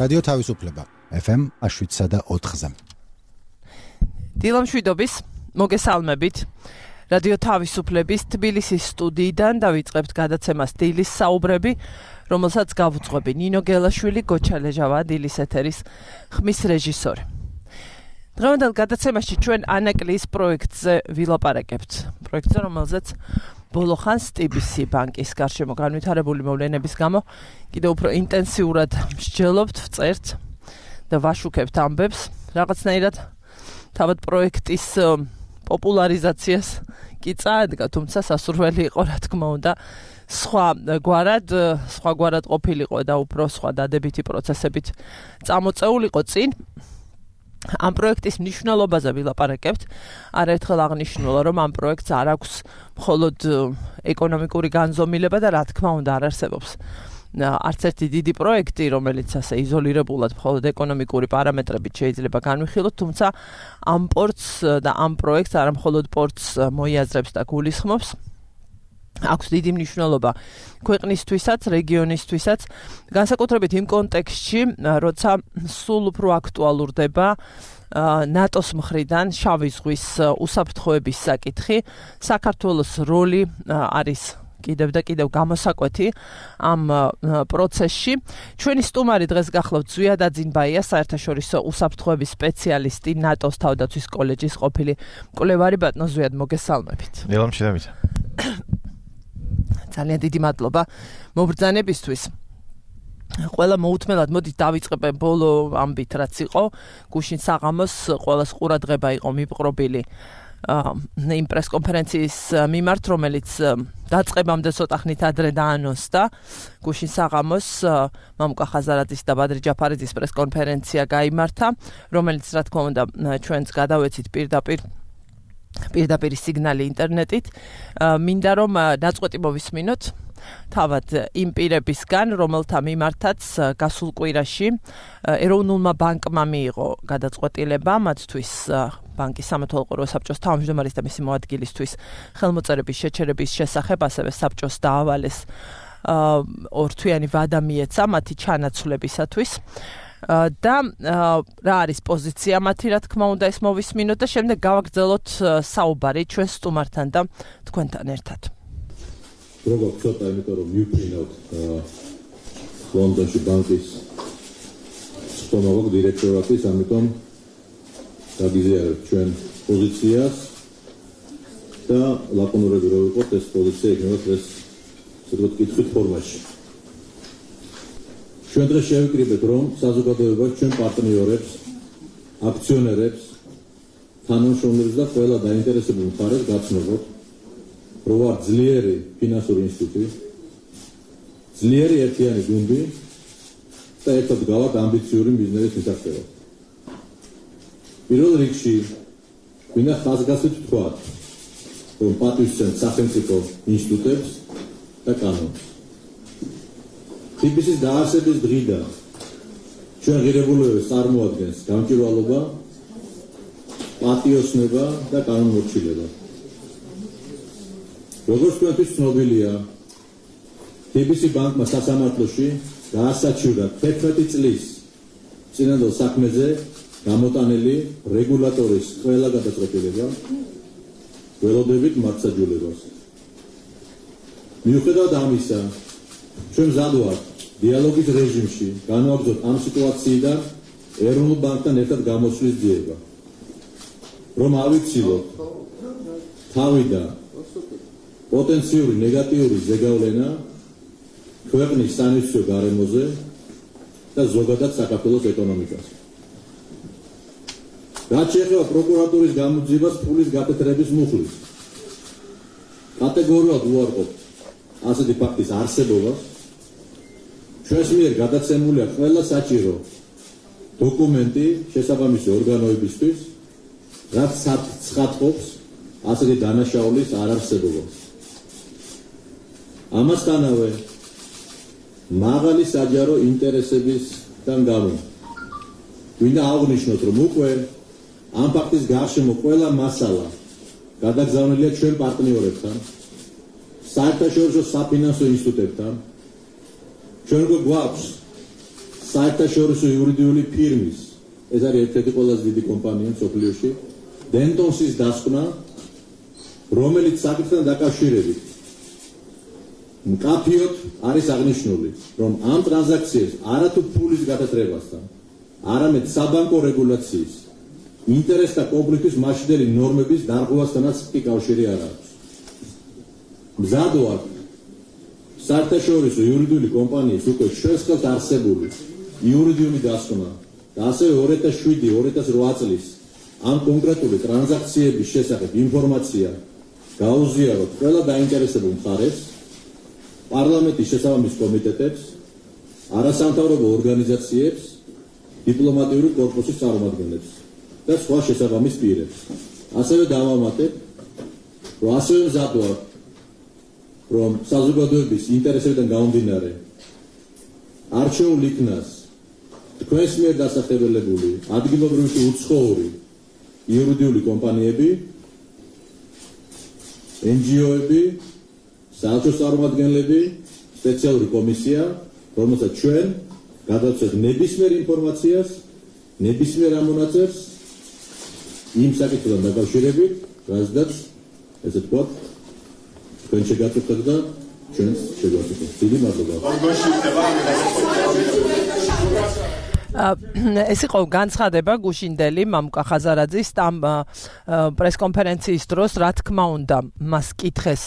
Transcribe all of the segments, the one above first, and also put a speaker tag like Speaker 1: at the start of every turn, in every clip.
Speaker 1: რადიო თავისუფლება FM 7.4-ზე.
Speaker 2: დილამშვიდობის, მოგესალმებით. რადიო თავისუფლების თბილისის სტუდიიდან დავიწყებთ გადაცემას დილის საუბრები, რომელსაც გავუძღვები ნინო გელაშვილი, გოჩა ლეჟავა, დილის ეთერის ხმის რეჟისორი. დღევანდელ გადაცემაში ჩვენ ანაკლის პროექტზე ვილაპარაკებთ. პროექტზე, რომელზეც ბოლო ხანს TBC ბანკის გარშემო განვითარებული მოვლენების გამო კიდევ უფრო ინტენსიურად მსჯელობთ, ვწერთ და ვაშუქებთ ამბებს. რაღაცნაირად თავად პროექტის პოპულარიზაციას კი წაადგა, თუმცა სასურველი იყო, რა თქმა უნდა, სხვაგვარად ყოფილიყო და უფრო სხვა დადებითი პროცესებით წამოწეულიყო წინ. ამ პროექტის მნიშვნელობაზე ვილაპარაკებთ. არაერთხელ აღნიშნულა, რომ ამ პროექტს არ აქვს მხოლოდ ეკონომიკური განზომილება და რა თქმა უნდა არ არსებობს არც ერთი დიდი პროექტი, რომელიც ასე იზოლირებულად მხოლოდ ეკონომიკური პარამეტრებით შეიძლება განვიხილოთ, თუმცა ამ პორტს და ამ პროექტს არა მხოლოდ პორტს მოიაზრებს და გულისხმობს, აქვს დიდი მნიშვნელობა ქვეყნისთვისაც, რეგიონისთვისაც, განსაკუთრებით იმ კონტექსტში, როცა სულ უფრო აქტუალურდება ნატოს მხრიდან შავი ზღვის უსაფრთხოების საკითხი, საქართველოს როლი არის კიდევ და კიდევ გამოსაკვეთი ამ პროცესში. ჩვენი სტუმარი დღეს გახლავთ ზვიად აძინბაია, საერთაშორისო უსაფრთხოების სპეციალისტი, ნატოს თავდაცვის კოლეჯის ყოფილი მკვლევარი. ბატონო ზვიად, მოგესალმებით.
Speaker 3: დილამშვიდობით.
Speaker 2: ძალიან დიდი მადლობა მობრძანებისთვის. ყველა მოუთმელად მოდით დავიწყებენ ბოლო ამბით, რაც იყო გუშინ საღამოს ყველას ყურადღება იყო მიპყრობილი იმ პრესკონფერენციის მიმართ, რომელიც დაწყებამდე ცოტა ხნით ადრე დაანონსდა. გუშინ საღამოს მამუკა ხაზარაძის და ბადრი ჯაფარიძის პრესკონფერენცია გაიმართა, რომელიც რა თქმა უნდა ჩვენც გადავეცით პირდაპირ სიგნალი ინტერნეტით. მინდა რომ დაწყვეტი მოვისმინოთ თავად იმ პირებისგან, რომელთა მიმართაც გასულ კვირაში ეროვნულმა ბანკმა მიიღო გადაწყვეტილება მათთვის ბანკის სამეთვალყურო საბჭოს თავმჯდომარის და მისი მოადგილისთვის ხელმოწერების შეჩერების შესახებ, ასევე საბჭოს დაავალეს ორთვიანი ვადა მიეცა მათი ჩანაცვლებისათვის. და რა არის პოზიცია მათი, რა თქმა უნდა, ეს მოვისმინოთ და შემდეგ გავაგრძელოთ საუბარი ჩვენ სტუმართან და თქვენთან ერთად.
Speaker 4: როგორ ცოტა, იმიტომ რომ მივფრინავთ ლონდონში ბანკის სტომაგოგ დირექტორატის, ამიტომ დაგიზიარებთ ჩვენ პოზიციას და ლაკონურები რო ვიყოთ, ეს პოზიცია იქნება დღეს ცოტა კითხვის ფორმაში. ჩვენ დღეს შევიკრიბეთ, რომ საზოგადოებას, ჩვენ პარტნიორებს, აქციონერებს, თანამშრომლებს და ყველა დაინტერესებულ მხარეს გაცნობოთ, რომ ვარ ძლიერი ფინანსური ინსტიტუტი, ძლიერი ერთიანი გუნდი და ერთად გავართ ამბიციური ბიზნესის მისაღწევად. პირველ რიგში მინდა ხაზგასმით ვთქვათ, რომ პატივისცემთ სახელმწიფო ინსტიტუტებს და კანონს. TBC-ის დაარსების დღიდან ჩვენ ღირებულებებს წარმოადგენს გამჭვირვალობა, პატიოსნება და კანონმორჩილება. როგორც თქვენთვის ცნობილია, TBC ბანკმა სასამართლოში გაასაჩივრა 11 წლის წინანდელ საქმეზე გამოტანილი რეგულატორის ყველა გადაწყვეტილება, ველოდებით მართლმსაჯულებას. მიუხედავად ამისა, ჩვენ მზად ვართ დიალოგის რეჟიმში განვაგრძოთ ამ სიტუაციიდან ეროვნულ ბანკთან ერთად გამოსვლის ძიება, რომ ავიცილოთ თავიდან პოტენციური ნეგატიური ზეგავლენა ქვეყნის სანაცვლო გარემოზე და ზოგადად საქართველოს ეკონომიკაზე. რაც შეეხება პროკურატურის გამოძიებას ფულის გაკეთრების მუხლის, კატეგორიულად უარყოფთ ასეთი ფაქტის არსებობას. ჩვენს მიერ გადაცემულია ყველა საჭირო დოკუმენტი შესაბამისი ორგანოებისთვის, რაც ცხადყოფს ასეთი დანაშაულის არარსებობას. ამასთანავე მაღალი საჯარო ინტერესებისგან გამო მინდა აღვნიშნოთ, რომ უკვე ამ ფაქტის გარშემო ყველა მასალა გადაგზავნილია ჩვენ პარტნიორებთან, საერთაშორისო საფინანსო ინსტიტუტებთან. ჩვენ გვაქვს საერთაშორისო იურიდიული ფირმის, ეს არის ერთ-ერთი ყველაზე დიდი კომპანია მსოფლიოში, Dentons-ის დასკვნა, რომელიც საკითხთან დაკავშირებით მკაფიოდ არის აღნიშნული, რომ ამ ტრანზაქციებს არათუ ფულის გათათრებასთან, არამედ საბანკო რეგულაციის, ინტერესთა კონფლიქტის მასშტაბური ნორმების დარღვევასთანაც კი კავშირი არ აქვს. მზად ვარ საერთაშორისო იურიდიული კომპანიის უკვე ჩვენს ხელთ არსებული იურიდიული დასკვნა და ასევე 2007-2008 წლის ამ კონკრეტული ტრანზაქციების შესახებ ინფორმაცია გაუზიაროთ ყველა დაინტერესებულ მხარეს, პარლამენტის შესაბამის კომიტეტებს, არასამთავრობო ორგანიზაციებს, დიპლომატიური კორპუსის წარმომადგენლებს და სხვა შესაბამის პირებს. ასევე დავამატებ, რომ ასევე მზად ვარ, რომ საზოგადოების ინტერესებიდან გამომდინარე არჩეულ იქნას თქვენს მიერ დასახელებული ადგილობრივი უცხოური იურიდიული კომპანიები, NGO-ები, საელჩო წარმომადგენლები, სპეციალური კომისია, რომელსაც ჩვენ გადავცეთ ნებისმიერ ინფორმაციას, ნებისმიერ ამონაწერს იმ საკითხთან დაკავშირებით, რაზედაც ესე ვთქვათ, თქვენ შეგაწუხეთ და ჩვენც შეგვაწუხეთ. დიდი მადლობა.
Speaker 2: ეს იყო განცხადება გუშინდელი მამუკა ხაზარაძის ამ პრესკონფერენციის დროს, რა თქმა უნდა, მას კითხეს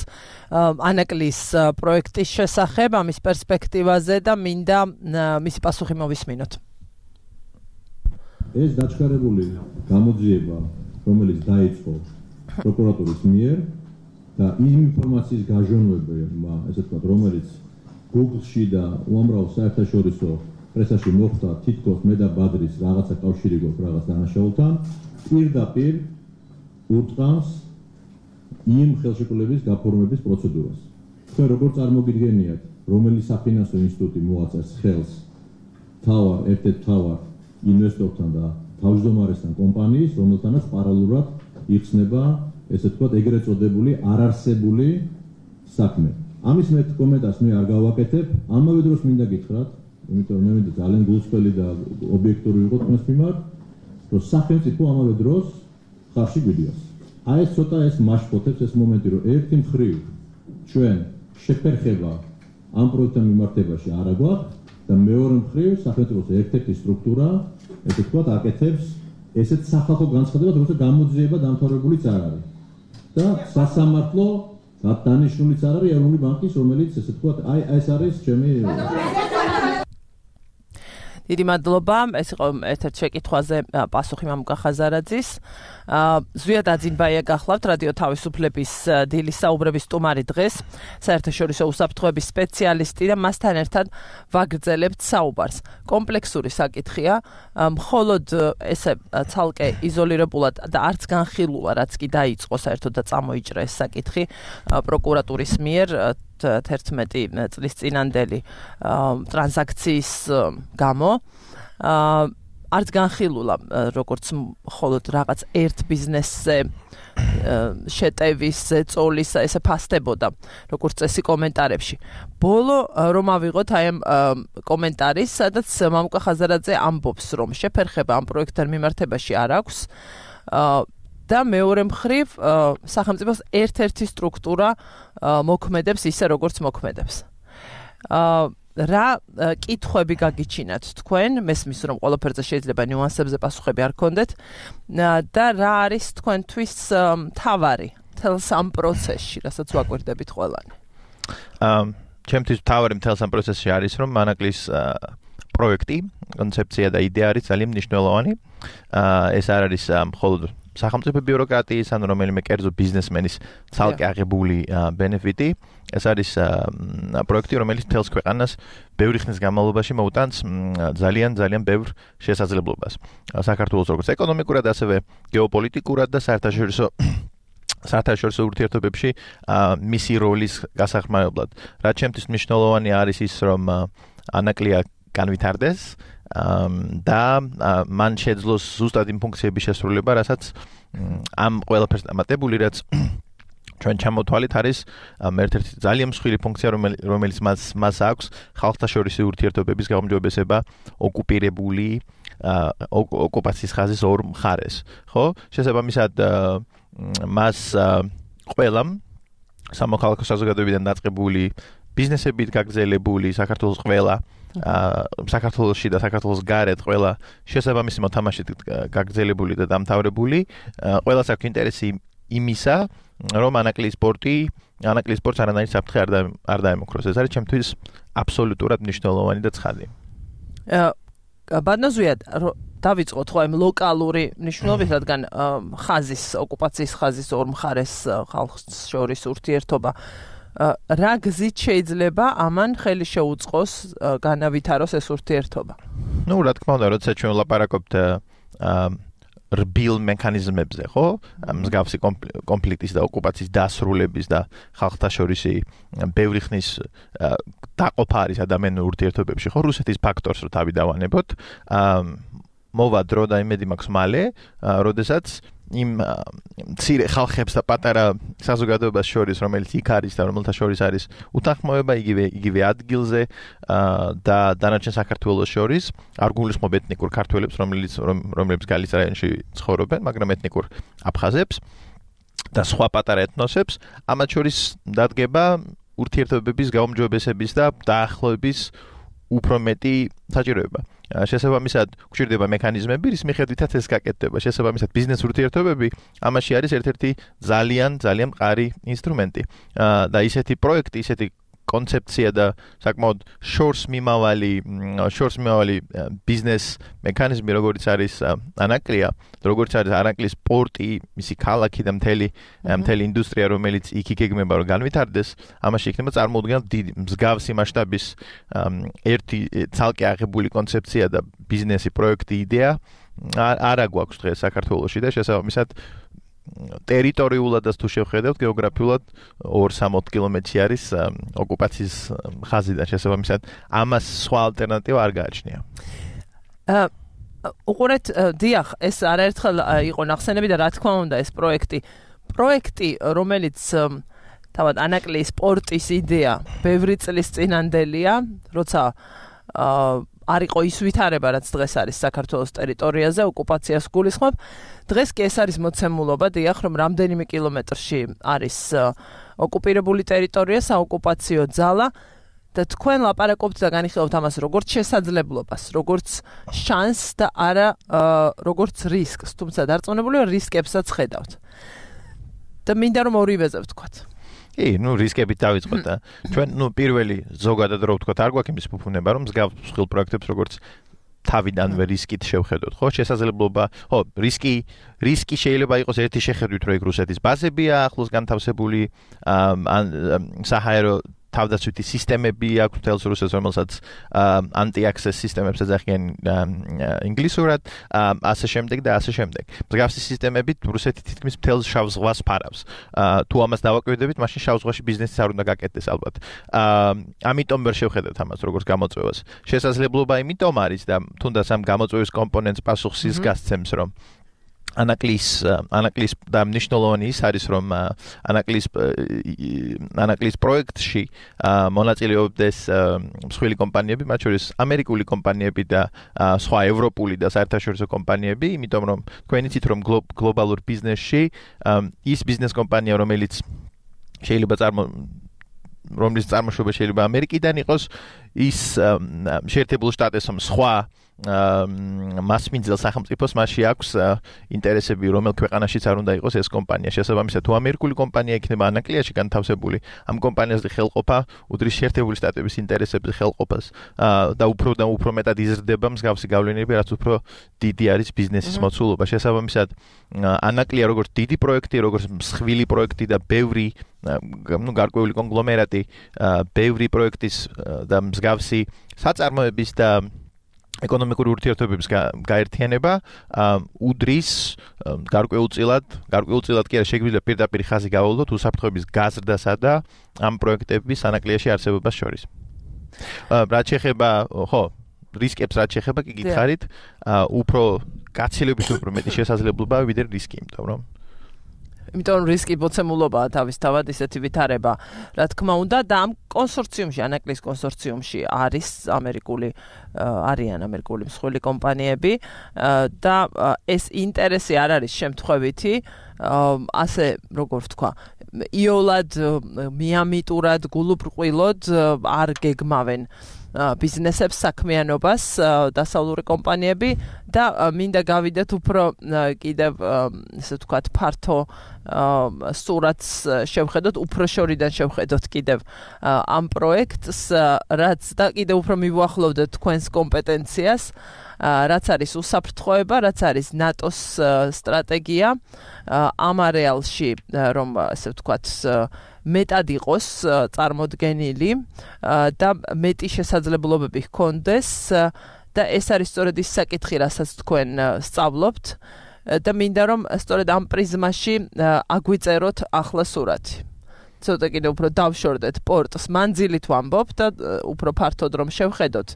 Speaker 2: ანაკლის პროექტის შესახებ, ამის პერსპექტივაზე და მინდა მისი პასუხი მოვისმინოთ.
Speaker 4: ეს დაჩქარებული გამოძიება, რომელიც დაიწყო პროკურატურის მიერ და იმ ინფორმაციის გაჟონვება, ესე ვთქვათ, რომელიც Google-ში და უამრავ საერთაშორისო პრესაში მოხდა, თითქოს მე და ბადრის რაღაცა კავშირი გვაქვს რაღაც დანაშაულთან, პირდაპირ ურტყამს იმ ხელშეკრულების გაფორმების პროცედურას. თქვენ როგორ წარმოგიდგენიათ, რომელი საფინანსო ინსტიტუტი მოაწეს ხელს ერთ-ერთ მთავარ ინვესტორთან და თავმჯდომარესთან კომპანიის, რომელთანაც პარალელურად იხსნება, ესე ვთქვათ, ეგრეთ წოდებული არარსებული საქმე. ამის მეტ კომენტარს მე არ გავაკეთებ, ამავე დროს მინდა გითხრათ, იმიტომ რომ მე მინდა ძალიან გულწრფელი და ობიექტური ვიყო თქვენს მიმართ, რომ სახელმწიფო ამავე დროს ხარში გვიდიოს. აი ეს ცოტა ეს მაშფოთებს ეს მომენტი, რომ ერთი მხრივ ჩვენ შეფერხება ამ პროექტთან მიმართებაში არ აგვაქვს და მეორე მხრივ სახელმწიფოს ერთ-ერთი სტრუქტურა, ესე ვთქვათ, აკეთებს ესეთ სახალხო განცხადებას, როგორც გამოძიება დამთავრებულიც არ არის. და სასამართლო დანიშნულიც არ არის ეროვნული ბანკის, რომელიც ესე ვთქვათ, აი ეს არის ჩემი
Speaker 2: დიდი მადლობა. ეს იყო ერთ-ერთ შეკითხვაზე პასუხი მამუკა ხაზარაძის. ზვიად აძინბაია გახლავთ რადიო თავისუფლების დილის საუბრების სტუმარი დღეს, საერთაშორისო უსაფრთხოების სპეციალისტი და მასთან ერთად ვაგრძელებთ საუბარს. კომპლექსური საკითხია, მხოლოდ ესე ცალკე იზოლირებულად და არც განხილულა, რაც კი დაიწყო საერთოდ და წამოიჭრა ეს საკითხი პროკურატურის მიერ 11 წლის წინანდელი ტრანზაქციის გამო. არც განხილულა, როგორც მხოლოდ რაღაც ერთ ბიზნესზე შეტევის, ზეწოლის, ესე ფასდებოდა, როგორც წესი კომენტარებში. ბოლო რომ ავიღოთ აი ამ კომენტარის, სადაც მამუკა ხაზარაძე ამბობს, რომ შეფერხება ამ პროექტთან მიმართებაში არ აქვს და მეორე მხრივ სახელმწიფოს ერთ-ერთი სტრუქტურა მოქმედებს ისე, როგორც მოქმედებს. რა კითხვები გაგიჩინათ თქვენ, მესმის რომ ყველაფერზე შეიძლება ნიუანსებზე პასუხები არ გქონდეთ და რა არის თქვენთვის მთავარი თელს ამ პროცესში, რასაც ვაკვირდებით ყველანი?
Speaker 3: ჩემთვის მთავარი მთელს ამ პროცესში არის, რომ ანაკლის პროექტი, კონცეფცია და იდეა არის ძალიან მნიშვნელოვანი. ეს არ არის მხოლოდ სახელმწიფო ბიუროკრატიის ან რომელიმე კერძო ბიზნესმენის ცალკე აღებული ბენეფიტი. ეს არის პროექტი, რომელიც მთელს ქვეყანას ბევრი ხნის განმავლობაში მოუტანს ძალიან ბევრ შესაძლებლობას. საქართველოს როგორც ეკონომიკურად, ასევე გეოპოლიტიკურად და საერთაშორისო ურთიერთობებში მისი როლის გასახმარებლად. რაც ჩემთვის მნიშვნელოვანი არის ის, რომ ანაკლია განვითარდეს და მან შეძლოს ზუსტად იმ ფუნქციების შესრულება, რასაც ამ ყველაფერს დამატებული, რაც ჩვენ ჩამოთვალით არის ერთ-ერთი ძალიან მსხვილი ფუნქცია, რომელიც მას აქვს ხალხთა შორისი ურთიერთობების გაუმჯობესება ოკუპირებული ოკუპაციის ხაზის ორ მხარეს, ხო? შესაბამისად მას ყველამ სამოქალაქო საზოგადოებიდან დაწყებული ბიზნესებით გაგრძელებული საქართველოს ყველა საქართველოში და საქართველოს გარეთ ყველა შესაბამისი მოთამაშით გაგრძელებული და დამთავრებული ყველას აქვს ინტერესი იმისა, რომ ანაკლის სპორტს არანაირი საფრთხე არ დაემუქროს. ეს არის ჩემთვის აბსოლუტურად მნიშვნელოვანი და ცხადი.
Speaker 2: ბატონო, დავიწყოთ ხო იმ ლოკალური მნიშვნელობით, რადგან ოკუპაციის ხაზის ორ მხარეს ხალხს შორის ურთიერთობა რა გზით შეიძლება ამან ხელი შეუწყოს განავითაროს ეს ურთიერთობა?
Speaker 3: ნუ რა თქმა უნდა, როცა ჩვენ ვლაპარაკობთ რბილ მექანიზმებზე, ხო? მსგავსი კონფლიქტის და ოკუპაციის დასრულების და ხალხთა შორისი ბევრი ხნის დაყოფა არის ადამიანურ ურთიერთობებში, ხო? რუსეთის ფაქტორს რო თავი დავანებოთ, მოვა დრო და იმედი მაქვს მალე, როდესაც იმ მცირე ხალხებს და პატარა საზოგადოებას შორის, რომელიც იქ არის და რომელთა შორის არის უთანხმოება იგივე ადგილზე და დანარჩენ საქართველოს შორის, არ გულისხმობ ეთნიკურ ქართველებს, რომლებიც გალის რაიონში ცხოვრობენ, მაგრამ ეთნიკურ აფხაზებს და სხვა პატარა ეთნოსებს, ამათ შორის დადგება ურთიერთობების გაუმჯობესების და დაახლოების უფრო მეტი საჭიროება. შესაბამისად, გვჭირდება მექანიზმები, რის მიხედვითაც ეს გაკეთდება. შესაბამისად, ბიზნეს ურთიერთობები ამაში არის ერთ-ერთი ძალიან მყარი ინსტრუმენტი. და ისეთი პროექტი, ისეთი კონცეფცია და საკმაოდ შორს მიმავალი ბიზნეს მექანიზმი, როგორც არის ანაკლია, როგორც არის ანაკლის პორტი, მისი ქალაქი და მთელი ინდუსტრია, რომელიც იქ იგეგმება რომ განვითარდეს, ამაში იქნება წარმოუდგენელ დიდი მსგავსი მასშტაბის ერთი ცალკე აღებული კონცეფცია და ბიზნესი პროექტი იდეა არა გვაქვს დღეს საქართველოში და შესაბამისად ტერიტორიულად თუ შევხედავთ გეოგრაფიულად 260 კილომეტრი არის ოკუპაციის ხაზიდან შესაბამისად ამას სხვა ალტერნატივა არ გააჩნია.
Speaker 2: უყურეთ, დიახ, ეს არაერთხელ იყო ნახსენები და რა თქმა უნდა ეს პროექტი, რომელიც თავად ანაკლის სპორტის იდეა ბევრი წლის წინანდელია, როცა არ იყო ის ვითარება, რაც დღეს არის საქართველოს ტერიტორიაზე, ოკუპაციას გულისხმობ. დღეს კი ეს არის მოცემულობა, დიახ, რომ რამდენიმე კილომეტრში არის ოკუპირებული ტერიტორია, საოკუპაციო ძალა და თქვენ ლაპარაკობთ და განიხილავთ ამას როგორც შესაძლებლობას, როგორც შანსს და არა როგორც რისკს, თუმცა დარწმუნებული ვარ რისკებსაც ხედავთ. და მინდა რომ ორივეზე ვთქვათ.
Speaker 3: რისკებით დავიწყოთ და ჩვენ პირველი ზოგადად რო ვთქვათ, არ გვაქვს იმის ფუფუნება, რომ მსგავს მსხვილ პროექტებს როგორც თავიდანვე რისკით შევხედოთ, ხო? შესაძლებლობა, რისკი შეიძლება იყოს ერთი შეხედვით, რომ იქ რუსეთის ბაზებია ახლოს განთავსებული, ან საჰაერო თავდაცვითი სისტემები აქვს მთელს რუსეთს, რომელსაც anti-access სისტემებს ეძახიან ინგლისურად, ასე შემდეგ და ასე შემდეგ. მსგავსი სისტემებით რუსეთი თითქმის მთელს შავ ზღვას ფარავს. თუ ამას დავაკვირდებით, მაშინ შავ ზღვაში ბიზნესიც არ უნდა გაკეთდეს ალბათ. ამიტომ ვერ შევხედავთ ამას როგორც გამოწვევას. შესაძლებლობა იმიტომ არის და თუნდაც ამ გამოწვევის კომპონენტს პასუხს ის გასცემს, რომ ანაკლის და მნიშვნელოვანი ის არის, რომ ანაკლის პროექტში მონაწილეობდეს მსხვილი კომპანიები, მათ შორის ამერიკული კომპანიები და სხვა ევროპული და საერთაშორისო კომპანიები, იმიტომ რომ თქვენ იცით, რომ გლობალურ ბიზნესში ის ბიზნეს კომპანია, რომელიც რომლის წარმოშობა შეიძლება ამერიკიდან იყოს, ის შეერთებულ შტატებსო სხვა მასმინძელ სახელმწიფოს მასში აქვს ინტერესები, რომელ ქვეყანაშიც არ უნდა იყოს ეს კომპანია. შესაბამისად, თუ ამერიკული კომპანია იქნება ანაკლიაში განთავსებული, ამ კომპანიაზე ხელყოფა უდრის შეერთებული შტატების ინტერესების ხელყოფას და უფრო მეტად იზრდება მსგავსი გავლენები, რაც უფრო დიდი არის ბიზნესის მოცულობა. შესაბამისად, ანაკლია როგორც დიდი პროექტი, როგორც მსხვილი პროექტი და ბევრი გარკვეული კონგლომერატი, ბევრი პროექტის და მსგავსი საწარმოების და ეკონომიკური ურთიერთობების გაერთიანება უდრის გარკვეულწილად კი არა შეგვიძლია პირდაპირ ხაზი გავავლოთ უსაფრთხოების გაზრდასა და ამ პროექტების ანაკლიაში არსებობას შორის. რაც შეეხება, რისკებს რაც შეეხება, კი გითხარით, უფრო გაცილებით უფრო მეტი შესაძლებლობაა ვიდრე რისკი, იმიტომ რომ
Speaker 2: იმიტომ რისკი მოცემულობაა თავისთავად ისეთი ვითარება, რა თქმა უნდა, და ამ კონსორციუმში, ანაკლის კონსორციუმში არიან ამერიკული მსხვილი კომპანიები და ეს ინტერესი არ არის შემთხვევითი, ასე როგორ ვთქვა, იოლად მიამიტურად გულუბრყვილოდ არ გეგმავენ ბიზნესებს, საქმიანობას დასავლური კომპანიები და მინდა გავიდეთ უფრო კიდევ ესე ვთქვათ ფართო სურათს შევხედოთ, უფრო შორიდან შევხედოთ კიდევ ამ პროექტს, რაც და კიდევ უფრო მივუახლოვდეთ თქვენს კომპეტენციას, რაც არის უსაფრთხოება, რაც არის ნატოს სტრატეგია ამ არეალში, რომ ასე ვთქვათ მეტად იყოს წარმოდგენილი და მეტი შესაძლებლობები ჰქონდეს და ეს არის სწორედ ის საკითხი, რასაც თქვენ სწავლობთ და მინდა რომ სწორედ ამ პრიზმაში აგვიწეროთ ახლა სურათი. ცოტა კიდე უფრო დავშორდეთ პორტს, მანძილით ვამბობ და უფრო ფართოდ რომ შევხედოთ.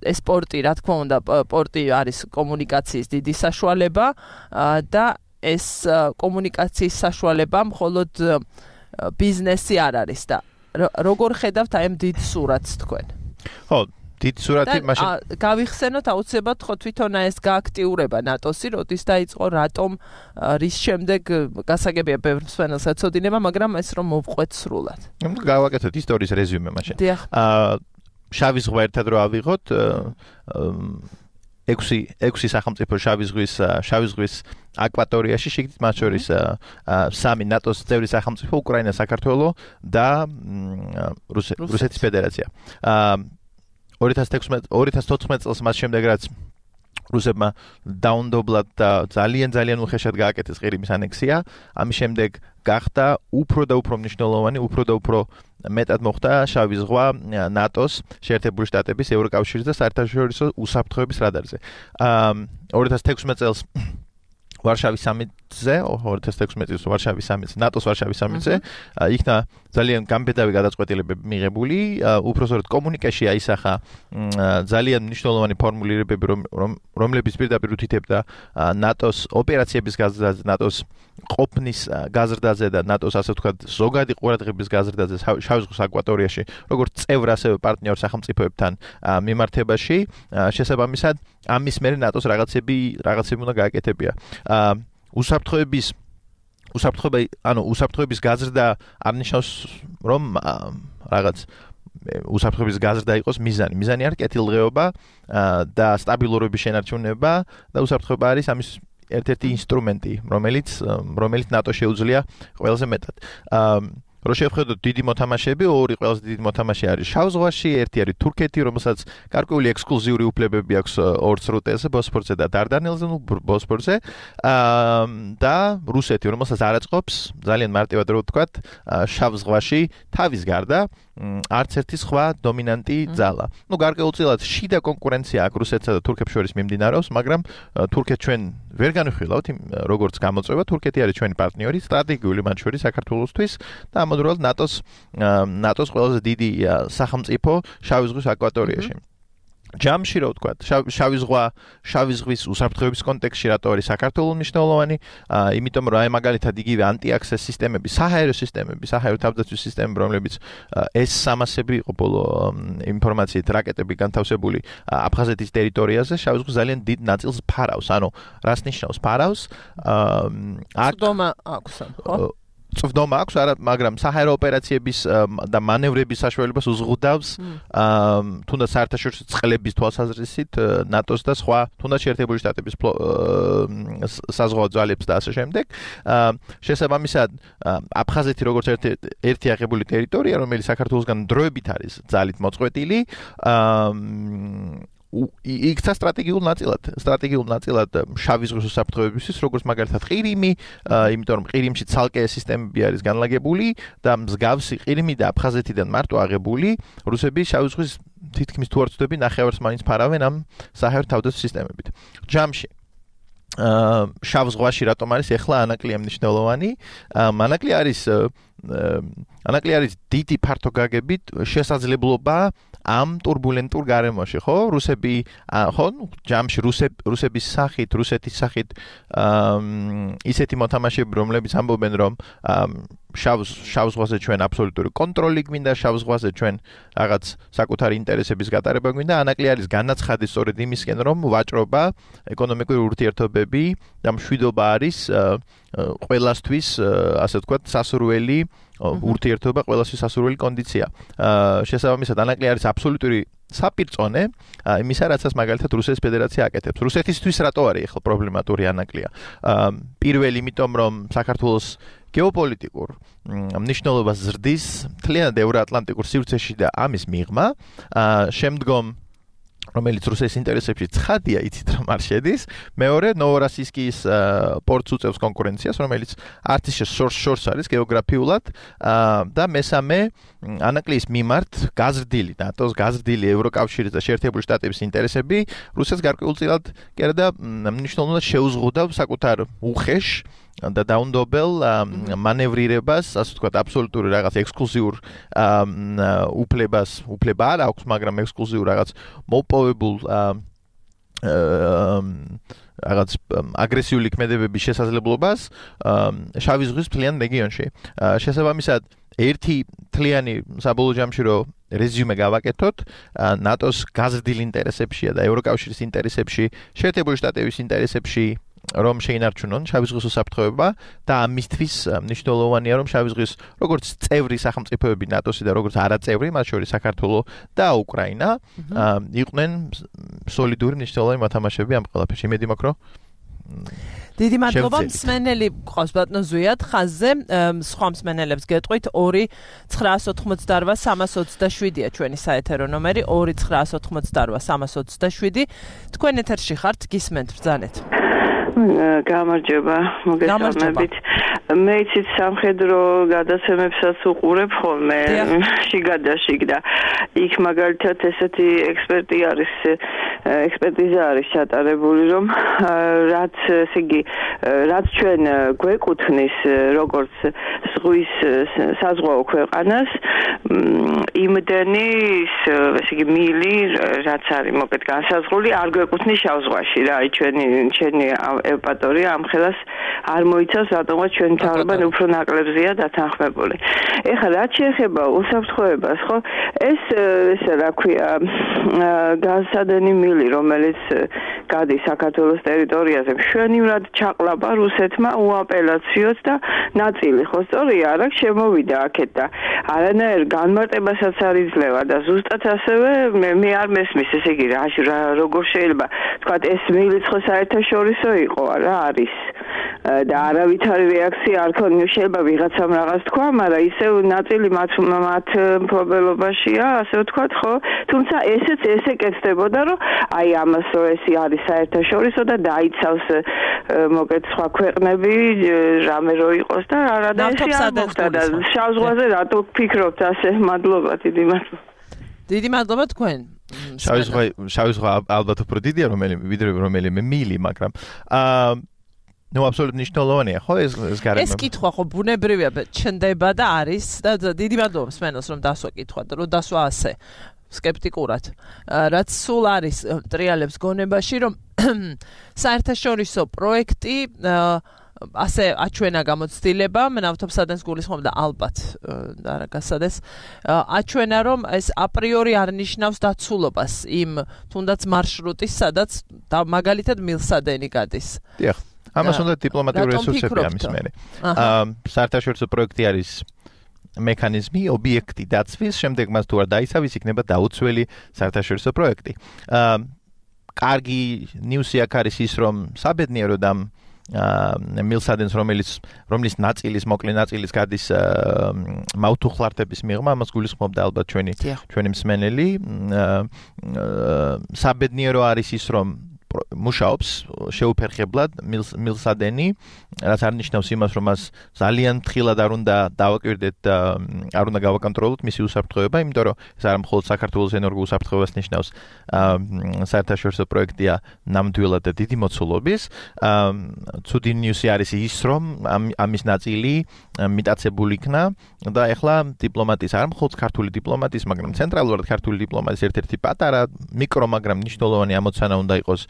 Speaker 2: ეს პორტი, რა თქმა უნდა, პორტი არის კომუნიკაციის დიდი საშუალება და ეს კომუნიკაციის საშუალება მხოლოდ ბიზნესი არ არის და როგორ ხედავთ აი ამ დიდ სურათს თქვენ?
Speaker 3: ხო, დიდ სურათი მაშინ
Speaker 2: გავიხსენოთ აუცილებლად ხო თვითონ ეს გააქტიურება ნატოსი, როდის დაიწყო, რატომ, რის შემდეგ გასაგებია ბევრ მსმენელს ეცოდინება, მაგრამ ეს რომ მოვყვეთ სრულად.
Speaker 3: გავაკეთოთ ისტორიის რეზიუმე მაშინ. შავი ზღვა ერთად რო ავიღოთ, 6 სახელმწიფო შავი ზღვის აკვატორიაში, შიგნით მათ შორის 3 ნატოს წევრი სახელმწიფო, უკრაინა, საქართველო და რუსეთის ფედერაცია. 2014 წელს მას შემდეგ რაც რუსებმა დაუნდობლად და ძალიან უხეშად გააკეთეს ყირიმის ანექსია, ამის შემდეგ გახდა უფრო და უფრო მნიშვნელოვანი, უფრო და უფრო მეტად მოხდა შავი ზღვა ნატოს, შეერთებული შტატების, ევროკავშირის და საერთაშორისო უსაფრთხოების რადარზე. 2016 წელს ვარშავის სამიტზე, 2016 წელს ვარშავის სამიტზე, ნატოს ვარშავის სამიტზე, იქნა ძალიან გამბედავი გადაწყვეტილებები მიღებული, უпроსორად კომუნიკაში აისახა ძალიან მნიშვნელოვანი ფორმულირებები, რომლებიც პირდაპირ უთითებდა ნატოს ოპერაციების გაზრდაზე, ნატოს ყოფნის გაზრდაზე და ნატოს ასე ვთქვათ ზოგადი ყურადღების გაზრდაზე შავი ზღვის აკვატორიაში, როგორც წევრ ასევე პარტნიორ სახელმწიფოებთან მიმართებაში, შესაბამისად ამის მერე ნატოს რაღაცები უნდა გააკეთებია. უსაფრთხოების გაზრდა არ ნიშნავს რომ რაღაც უსაფრთხოების გაზრდა იყოს მიზანი. მიზანი არის კეთილდღეობა და სტაბილურობის შენარჩუნება და უსაფრთხოება არის ამის ერთ-ერთი ინსტრუმენტი, რომელიც ნატო შეუძლია ყველაზე მეტად. რო შევხედოთ დიდი მოთამაშეები, ორი ყველაზე დიდი მოთამაშე არის შავ ზღვაში, ერთი არის თურქეთი, რომელსაც გარკვეული ექსკლუზიური უფლებები აქვს ორ სრუტეზე, ბოსფორზე და დარდანელზე, ბოსფორზე, და რუსეთი, რომელსაც არ აწყობს, ძალიან მარტივად რო ვთქვათ, შავ ზღვაში თავის გარდა არც ერთი სხვა დომინანტი ძალა. გარკვეულწილად შიდა კონკურენცია აქვს რუსეთსა და თურქებს შორის მიმდინარეობს, მაგრამ თურქეთს ჩვენ ვერ განვიხილავთ, როგორც გამოწვევა, თურქეთი არის ჩვენი პარტნიორი, სტრატეგიული მათ შორის საქართველოსთვის და ამავდროულად ნატოს ყველაზე დიდი სახელმწიფო შავი ზღვის აკვატორიაში. ჯამში რო ვთქვათ, შავი ზღვის უსაფრთხოების კონტექსტში რატო არის საქართველოს მნიშვნელოვანი, იმიტომ რომ აი მაგალითად იგივე ანტიაქსეს სისტემები, საჰაერო თავდაცვის სისტემები, რომლებიც S-300-ები იყო ბოლო ინფორმაციით რაკეტები განთავსებული აფხაზეთის ტერიტორიაზე, შავი ზღვის ძალიან დიდ ნაწილს ფარავს. ანუ რას ნიშნავს ფარავს?
Speaker 2: წვდომა აქვს, ხო?
Speaker 3: წვდომა აქვს, მაგრამ საჰაერო ოპერაციების და მანევრების საშუალებას უზღუდავს თუნდაც საერთაშორისო წყლების თვალსაზრისით ნატოს და სხვა თუნდაც შეერთებული შტატების საზღვაო ძალებს და ასე შემდეგ. შესაბამისად, აფხაზეთი როგორც ერთი აღებული ტერიტორია, რომელიც საქართველოსგან დროებით არის ძალით მოწყვეტილი, იქცა სტრატეგიულ ნაწილად შავი ზღვის უსაფრთხოებისთვის, როგორც მაგალითად ყირიმი, იმიტომ რომ ყირიმში ცალკე სისტემები არის განლაგებული და მსგავსი ყირიმი და აფხაზეთიდან მარტო აღებული, რუსები შავი ზღვის თითქმის თუ არ ვწდები ნახევარს მაინც ფარავენ ამ საჰაერო თავდაცვის სისტემებით. ჯამში შავ ზღვაში რატომ არის ეხლა ანაკლია მნიშვნელოვანი? ანაკლი არის ანაკლი არის დიდი ფართო გაგებით შესაძლებლობა ამ турბულენტურ გარემოში, ხო? რუსები, ხო, ჯამში რუსების სახით, რუსეთის სახით ისეთი მოთამაშეები, რომლებიც ამბობენ, რომ შავ ზღვაზე ჩვენ აბსოლუტური კონტროლი გვინდა, შავ ზღვაზე ჩვენ რაღაც საკუთარი ინტერესების გატარება გვინდა, ანაკლი არის განაცხადი სწორედ იმისკენ, რომ ვაჭრობა, ეკონომიკური ურთიერთობები და მშვიდობა არის ყველასთვის, ასე ვთქვათ, სასურველი ურთიერთობა, ყველასთვის სასურველი კონდიცია. შესაბამისად, ანაკლი არის აბსოლუტური საპირწონე იმისა, რასაც მაგალითად რუსეთის ფედერაცია აკეთებს. რუსეთისთვის რატო არის ახლა პრობლემატური ანაკლია? პირველი, იმიტომ რომ საქართველოს გეოპოლიტიკურ მნიშვნელობას ზრდის მთლიანად ევროატლანტიკურ სივრცეში და ამის მიღმა, შემდგომ რომელიც რუსეთის ინტერესებში ცხადია, იცით რომ არ შედის. მეორე, ნოვოროსიისკის პორტს უწევს კონკურენციას, რომელიც არც ისე შორს არის გეოგრაფიულად და მესამე, ანაკლის მიმართ გაზრდილი ნატოს, გაზრდილი ევროკავშირის და შეერთებული შტატების ინტერესები რუსეთს გარკვეულწილად კი არა და მნიშვნელოვნად შეუზღუდავ საკუთარ უხეშ და დაუნდობელ მანევრირებას, ასე ვთქვათ, აბსოლუტური რაღაც ექსკლუზიურ უფლება არ აქვს, მაგრამ ექსკლუზიურ რაღაც მოპოვებულ რაღაც აგრესიული ქმედებების შესაძლებლობას შავი ზღვის მთლიან რეგიონში. შესაბამისად, ერთი მთლიანი საბოლოო ჯამში რო რეზიუმე გავაკეთოთ, ნატოს გაზრდილ ინტერესებშია და ევროკავშირის ინტერესებში, შეერთებული შტატების ინტერესებში რომ შეინარჩუნონ შავი ზღვის უსაფრთხოება და ამისთვის მნიშვნელოვანია რომ შავი ზღვის როგორც წევრი სახელმწიფოები ნატოსი და როგორც არაწევრი, მათ შორის საქართველო და უკრაინა იყვნენ სოლიდური მნიშვნელოვანი მოთამაშეები ამ ყველაფერში. იმედი მაქვს რომ
Speaker 2: დიდი მადლობა მსმენელი გყავს ბატონო ზვიად ხაზზე, სხვა მსმენელებს გეტყვით 2-988-327-ია ჩვენი საეთერო ნომერი 2-988-327. თქვენ ეთერში ხართ, გისმენთ ბრძანეთ.
Speaker 5: გამარჯობა, მოგესალმებით. მე იცით სამხედრო გადაცემებსაც უყურებ ხოლმე შიგადაშიგ და იქ მაგალითად ესეთი ექსპერტიზა არის ჩატარებული, რომ რაც ესე იგი რაც ჩვენ გვეკუთვნის როგორც ზღვის საზღვაო ქვეყანას, იმდენი ესე იგი მილი რაც არის მოკეთ განსაზღვრული არ გვეკუთვნის შავ ზღვაში რა, ჩვენი ევპატორია ამ ხელას არ მოიცავს, რატომაც ჩვენ მთავრობამ უფრო ნაკლებზეა დათანხმებული. ეხლა რაც შეეხება უსაფრთხოებას, ხო, ესე რა ქვია, განსადენი მილი, რომელიც გადის საქართველოს ტერიტორიაზე, მშვენივრად ჩაყლაპა რუსეთმა უაპელაციოდ და ნაწილი, ხო, სწორია, არა შემოვიდა აქეთ და არანაირ განმარტებასაც არ იძლევა და ზუსტად ასევე მე არ მესმის, ესე იგი, როგორ შეიძლება თქვა ეს მილიც ხო საერთაშორისო იყო რა არის და არავითარი რეაქცია არ ქონია, შეიძლება ვიღაცამ რაღაც თქვა, მაგრამ ისევ ნაწილი მათ მფლობელობაშია, ასე ვთქვათ, ხო? თუმცა ესე კეთდებოდა, რომ აი ამას რო ეს არის საერთაშორისო და დაიცავს მოკეთ სხვა ქვეყნები, რამე რო იყოს და არა და ესე არ მოხდა და შავ ზღვაზე რატო ფიქრობთ ასე? მადლობა, დიდი მადლობა.
Speaker 2: დიდი მადლობა თქვენ.
Speaker 3: შავი ზღვა ალბათ უფრო დიდია რომელიმე მილი, მაგრამ ნუ აბსოლუტურად მნიშვნელოვანია, ხო ეს გარემო.
Speaker 2: ეს კითხვა ხო ბუნებრივია, ჩნდება და არის და დიდი მადლობა მსმენელს რომ დასვა კითხვა და რომ დასვა ასე სკეპტიკურად. რაც სულ არის ტრიალებს გონებაში, რომ საერთაშორისო პროექტი ასე აჩვენა გამოცდილება, ნავთობსადენს გულისხმობ და ალბათ არა გასადეს, აჩვენა რომ ეს აპრიორი არ ნიშნავს დაცულობას იმ თუნდაც მარშრუტის, სადაც მაგალითად მილსადენი გადის.
Speaker 3: დიახ. ამას უნდა დიპლომატიური რესურსები ამის მერე. საერთაშორისო პროექტი არის მექანიზმი, ობიექტი დაცვის, შემდეგ მას თუ არ დაიცავს, იქნება დაუცველი საერთაშორისო პროექტი. კარგი ნიუსი აქ არის ის, რომ საბედნიეროდ ამ მილსადენს რომლის ნაწილის მოკლე ნაწილის გადის მაუთუხლართების მიღმა, ამას გულისხმობდა ალბათ ჩვენი მსმენელი. საბედნიერო არის ის, რომ მუშაობს შეუფერხებლად მილსადენი, რაც არნიშნავს იმას, რომ მას ძალიან თხილად არ უნდა დავაკვირდეთ და არ უნდა გავაკონტროლოთ მისი უსაფრთხოება, იმიტომ რომ ეს არ მხოლოდ საქართველოს ენერგო უსაფრთხოებას ნიშნავს, საერთაშორისო პროექტია ნამდვილად და დიდი მოცულობის. ცუდი ნიუსი არის ის, რომ ამის ნაწილი მიტაცებული იქნა და ეხლა დიპლომატიის არ მხოლოდ ქართული დიპლომატიის, მაგრამ ცენტრალურად ქართული დიპლომატიის ერთ-ერთი პატარა მიკრო, მაგრამ მნიშვნელოვანი ამოცანა უნდა იყოს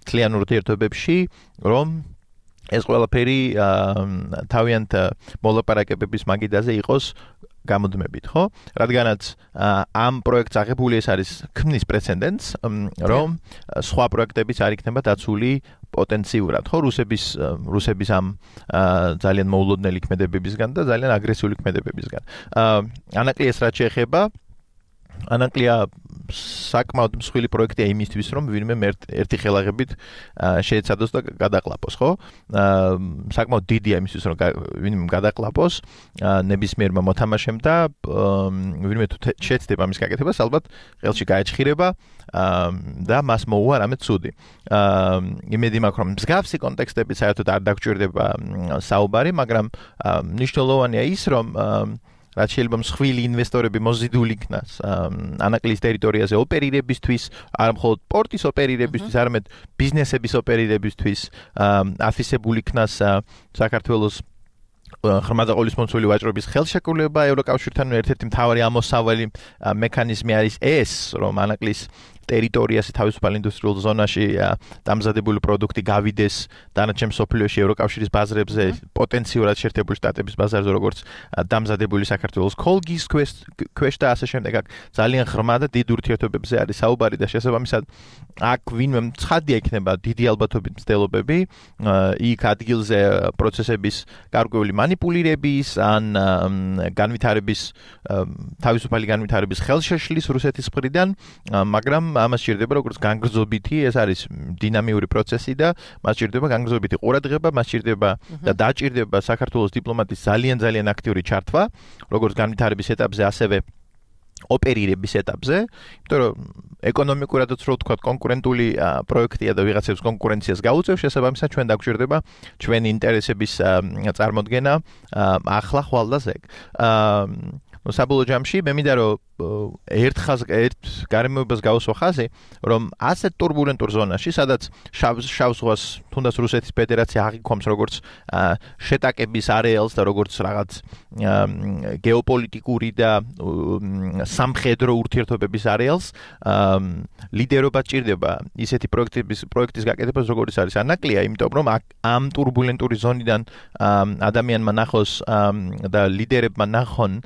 Speaker 3: მთლიან ურთიერთობებში, რომ ეს ყველაფერი თავიანთ მოლაპარაკებების მაგიდაზე იყოს გამოდმებით, ხო? რადგანაც ამ პროექტს აღებული ეს არის ქმნის პრეცედენტს, რომ სხვა პროექტებიც არ იქნება დაცული პოტენციურად, ხო? რუსების ამ ძალიან მოულოდნელი ქმედებებისგან და ძალიან აგრესიული ქმედებებისგან. ანაკლია ეს რაც შეეხება ანაკლია საკმაოდ მსხვილი პროექტია იმისთვის, რომ ვინმე ერთი ხელაღებით შეეცადოს და გადაყლაპოს, ხო? საკმაოდ დიდია იმისთვის, რომ ვინმე გადაყლაპოს ნებისმიერმა მოთამაშემ და ვინმე თუ შეეცდება მის გაკეთებას, ალბათ ხელში გაეჭხირება და მას მოუვა რამე ცუდი. იმედი მაქვს, რომ მსგავსი კონტექსტები საერთოდ არ დაგჭირდება საუბარი, მაგრამ მნიშვნელოვანია ის, რომ რაც შეიძლება მსხვილი ინვესტორები მოზიდული იქნას ანაკლიის ტერიტორიაზე ოპერირებისთვის, არ მხოლოდ პორტის ოპერირებისთვის, არამედ ბიზნესების ოპერირებისთვის, აფისებული იქნას საქართველოს ღრმა და ყოლისმომცველი ვაჭრობის ხელშეკრულება ევროკავშირთან ერთ-ერთი მთავარი ამოსავალი მექანიზმი არის ეს, რომ ანაკლის ტერიტორიაზე თავისუფალ ინდუსტრიულ ზონაში დამზადებული პროდუქტი გავიდეს დანარჩენ მსოფლიოში ევროკავშირის ბაზრებზე, პოტენციურად შეერთებული შტატების ბაზარზე, როგორც დამზადებული საქართველოს კოლგის ქვეშ და ასე შემდეგ. ძალიან ღრმა და დიდ ურთიერთობებზე არის საუბარი და შესაბამისად აქ ვინმე ცხადია იქნება დიდი ალბათობით მცდელობები, იქ ადგილზე პროცესების გარკვეული манипулირების ან განვითარების თავისუფალი განვითარების ხელშეშლის რუსეთის მხრიდან, მაგრამ ამას სჭირდება როგორც განგრძობითი, ეს არის დინამიური პროცესი და მას სჭირდება განგრძობითი ყურადღება, მას სჭირდება და დაჭირდება საქართველოს დიპლომატიის ძალიან აქტიური ჩართვა, როგორც განვითარების ეტაპზე, ასევე ოპერირების ეტაპზე, იმიტომ რომ ეკონომიკურადაც რო ვთქვათ, კონკურენტული პროექტია და ვიღაცებს კონკურენციას გაუწევს, შესაბამისად ჩვენ დაგვჭირდება ჩვენი ინტერესების წარმოდგენა ახლა ხვალ და ზეგ. საბოლოო ჯამში მე მინდა რომ ერთ გარემოებას გავუსვა ხაზი, რომ ასეთ турბულენტურ ზონაში, სადაც შავ ზღვას თუნდაც რუსეთის ფედერაცია აღიქვამს როგორც შეტაკების არეალს და როგორც რაღაც გეოპოლიტიკური და სამხედრო ურთიერთობების არეალს, ლიდერობა ჭირდება ისეთი პროექტის გაკეთებას, როგორც არის ანაკლია, იმიტომ რომ ამ турბულენტური ზონიდან ადამიანმა ნახოს და ლიდერებმა ნახონ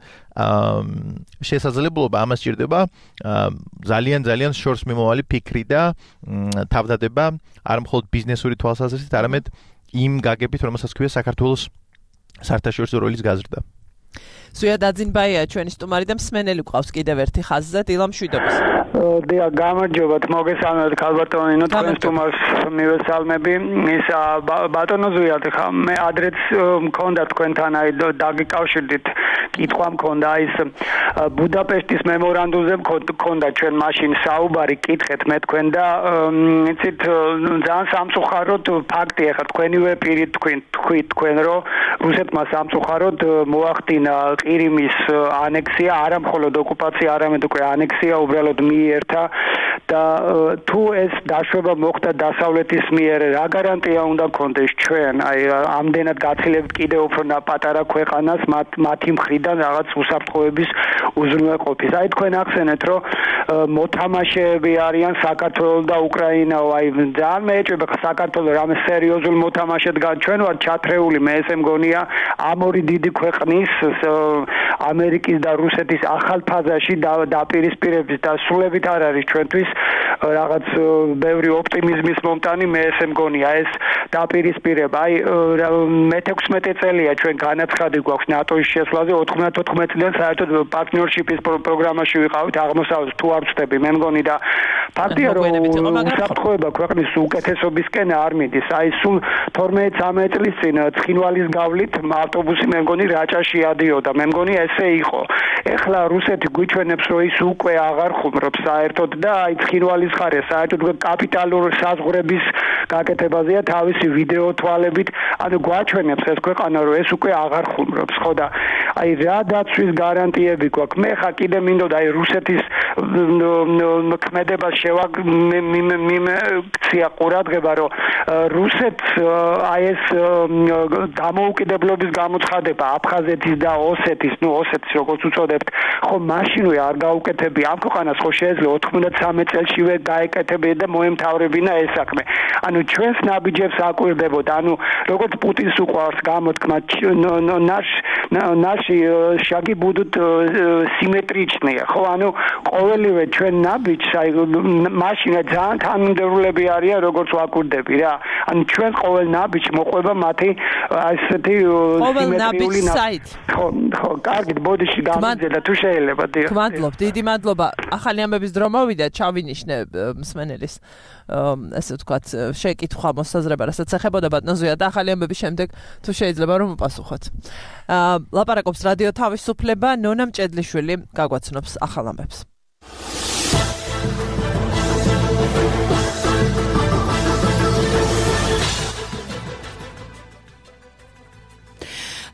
Speaker 3: შესაძლებლობა ამას სჭირდება ძალიან შორს მიმოვალი ფიქრი და თავდადება არ მხოლოდ ბიზნესური თვალსაზრისით, არამედ იმ გაგებით, რომელსაც ქვია საქართველოს საერთაშორისო როლის გაზრდა.
Speaker 2: ზუია დაძინბაია ჩვენი სტუმარი და მსმენელი გვყავს კიდევ ერთი ხაზზე, დილა მშვიდობის.
Speaker 6: დიახ, გამარჯობათ, მოგესალმებით ქალბატონინო, თქვენ სტუმარს მივესალმები. ის ბატონო ზუია, ხა მე ადრეც მქონდა თქვენთან აი დაგიკავშირდით, კითხვა მქონდა ის ბუდაპეშტის მემორანდუმზე მქონდა ჩვენ მაშინ საუბარი, კითხეთ მე თქვენ და იცით ძალიან სამწუხაროდ ფაქტია, ხა თქვენივე პირით თქვით თქვენ რომ რუსეთმა სამწუხაროდ მოახდინა ყირიმის ანექსია, არა მხოლოდ ოკუპაცია, არამედ უკვე ანექსია უბრალოდ მიიერთა და თუ ეს დაშვება მოხდა დასავლეთის მიერ, რა გარანტია უნდა გქონდეს ჩვენ, აი ამდენად გაცილებთ კიდევ უფრო პატარა ქვეყანას მათი მხრიდან რაღაც უსაფრთხოების უზრუნველყოფის. აი თქვენ ახსენეთ, რომ მოთამაშეები არიან საქართველოს და უკრაინა, აი ძალიან მეეჭვება საქართველოს რამე სერიოზულ მოთამაშედ ჩვენ ვართ ჩათრეული, მე ესე მგონია ამ ორი დიდი ქვეყნის ამერიკის და რუსეთის ახალ ფაზაში დაპირისპირების დასრულებით არ არის ჩვენთვის რაღაც ბევრი ოპტიმიზმის მომტანი, მე ესე მგონია ეს დაპირისპირება. აი მე-16 წელია ჩვენ განაცხადი გვაქვს ნატოს შესვლაზე, 94 წლიდან საერთოდ პარტნიორშიპის პროგრამაში ვიყავით აღმოსავლეთ, თუ არ ვწდები, მე მგონი და ფაქტია რომ უსაფრთხოება ქვეყნის უკეთესობისკენ არ მიდის. აი სულ 12-13 წლის წინ ცხინვალის გავლით ავტობუსი მე მგონი რაჭაში ადიოდა, მე მგონი ესე იყო. ეხლა რუსეთი გვიჩვენებს რომ ის უკვე აღარ ხუმრობს საერთოდ და აი ცხინვალის უცხარია საერთოდ კაპიტალურ საზღვრების გაკეთებაზეა თავისი ვიდეო თვალებით ანუ გვაჩვენებს ეს ქვეყანა რომ ეს უკვე აღარ ხუმრობს ხო და აი რა დაცვის გარანტიები გვაქვს მე ხა კიდე მინდოდა აი რუსეთის ქმედებას მიმექცია ყურადღება რომ რუსეთს აი ეს დამოუკიდებლობის გამოცხადება აფხაზეთის და ოსეთის ოსეთის როგორც უწოდებთ ხო მაშინვე არ გაუკეთებია ამ ქვეყანას ხო შეიძლება 93 წელსივე გაეკეთებინა და მოემთავრებინა ეს საქმე ანუ ჩვენს ნაბიჯებს აკვირდებოდა ანუ როგორც პუტინს უყვარს გამოთქმა ნაში შაგი ბუდუთ სიმეტრიჩნია ხო ანუ ყოველივე ჩვენ ნაბიჯს აი მაშინა ძალიან თანმიმდევრულები არიან როგორც ვაკვირდები რა ანუ ჩვენ ყოველ ნაბიჯს მოყვება მათი ასეთი სიმეტრიული ხო კარგით ბოდიში გამიძელა თუ შეიძლება
Speaker 2: მადლობ დიდი მადლობა ახალი ამბების დრო მოვიდა ჩავინიშნე მსმენელის ასე ვთქვათ შეკითხვა მოსაზრება რასაც ეხებოდა ბატონზეა და ახალი ამბების შემდეგ თუ შეიძლება რომ უპასუხოთ ლაპარაკობს რადიო თავისუფლება ნონა მჭედლიშვილი გაგვაცნობს ახალ ამბებს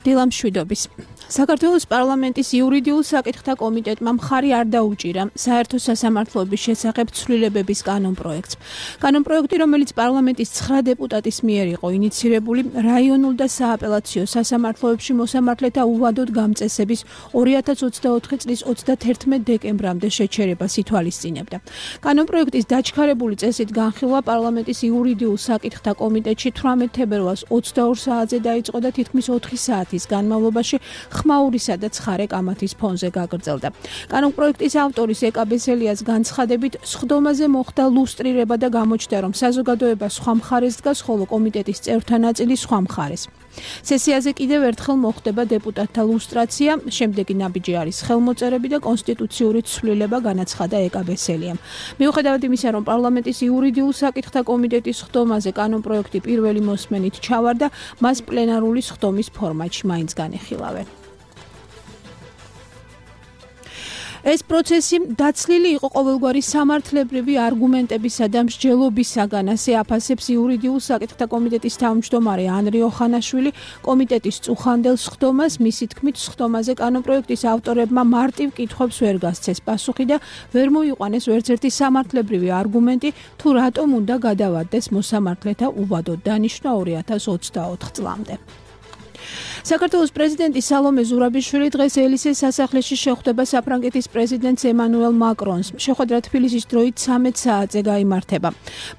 Speaker 7: დილამშვიდობის საქართველოს პარლამენტის იურიდიულ საკითხთა კომიტეტმა მხარი არ დაუჭირა საერთო სასამართლოების შესახებ ცვლილებების კანონპროექტს. კანონპროექტი, რომელიც პარლამენტის 9 დეპუტატის მიერ იყო ინიცირებული, რაიონულ და სააპელაციო სასამართლოებში მოსამართლეთა უვადოდ გამწესების 2024 წლის 31 დეკემბრამდე შეჩერებას ითვალისწინებდა. კანონპროექტის დაჩქარებული წესით განხილვა პარლამენტის იურიდიულ საკითხთა კომიტეტში 18 თებერვალს 22 საათზე დაიწყო და თითქმის 4 საათის განმავლობაში ხმაურისა და ცხარე კამათის ფონზე გაგრძელდა. კანონპროექტის ავტორის ეკა ბესელიას განცხადებით, სხდომაზე მოხდა ლუსტრირება და გამოჩნდა, რომ საზოგადოება სხვა მხარეს დგას, ხოლო კომიტეტის წევრთა ნაწილი სხვა მხარეს. სესიაზე კიდევ ერთხელ მოხდება დეპუტატთა ლუსტრაცია, შემდეგი ნაბიჯი არის ხელმოწერები და კონსტიტუციური ცვლილება განაცხადა ეკა ბესელიამ. მიუხედავად იმისა, რომ პარლამენტის იურიდიულ საკითხთა კომიტეტის სხდომაზე კანონპროექტი პირველი მოსმენით ჩავარდა, მას პლენარული სხდომის ფორმატში მაინც განეხილავენ. ეს პროცესი დაცლილი იყო ყოველგვარი სამართლებრივი არგუმენტებისა და მსჯელობისაგან, ასე აფასებს იურიდიულ საკითხთა კომიტეტის თავმჯდომარე ანრი ოხანაშვილი კომიტეტის წუხანდელ სხდომას, მისი თქმით, სხდომაზე კანონპროექტის ავტორებმა მარტივ კითხვებს ვერ გასცეს პასუხი და ვერ მოიყვანეს ვერცერთი სამართლებრივი არგუმენტი, თუ რატომ უნდა გადავადდეს მოსამართლეთა უვადოდ დანიშნვა 2024 წლამდე. საქართველოს პრეზიდენტი სალომე ზურაბიშვილი დღეს ელისეს სასახლეში შეხვდება საფრანგეთის პრეზიდენტს ემანუელ მაკრონს. შეხვედრა თბილისის დროით 13 საათზე გაიმართება.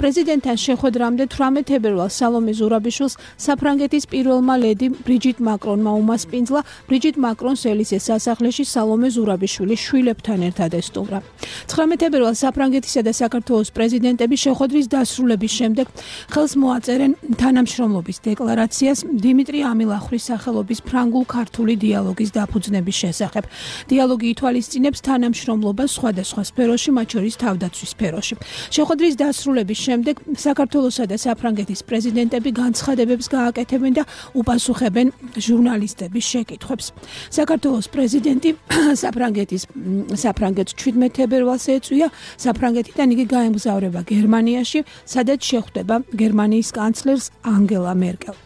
Speaker 7: პრეზიდენტთან შეხვედრამდე 18 თებერვალს სალომე ზურაბიშვილს საფრანგეთის პირველმა ლედი ბრიჯიტ მაკრონმა უმასპინძლა. ბრიჯიტ მაკრონს ელისეს სასახლეში სალომე ზურაბიშვილი შვილებთან ერთად ესტუმრა. 19 თებერვალს საფრანგეთისა და საქართველოს პრეზიდენტები შეხვედრის დასრულების შემდეგ ხელს მოაწერენ თანამშრომლობის დეკლარაციას დიმიტრი ამილახვრის სახელობის ფრანგულ-ქართული დიალოგის დაფუძნების შესახებ. დიალოგი ითვალისწინებს თანამშრომლობას სხვადასხვა სფეროში, მათ შორის თავდაცვის სფეროში. შეხვედრის დასრულების შემდეგ საქართველოსა და საფრანგეთის პრეზიდენტები განცხადებებს გააკეთებენ და უპასუხებენ ჟურნალისტების შეკითხვებს. საქართველოს პრეზიდენტი საფრანგეთს 17 თებერვალს ეწვია, საფრანგეთიდან იგი გაემგზავრება გერმანიაში, სადაც შეხვდება გერმანიის კანცლერს ანგელა მერკელ.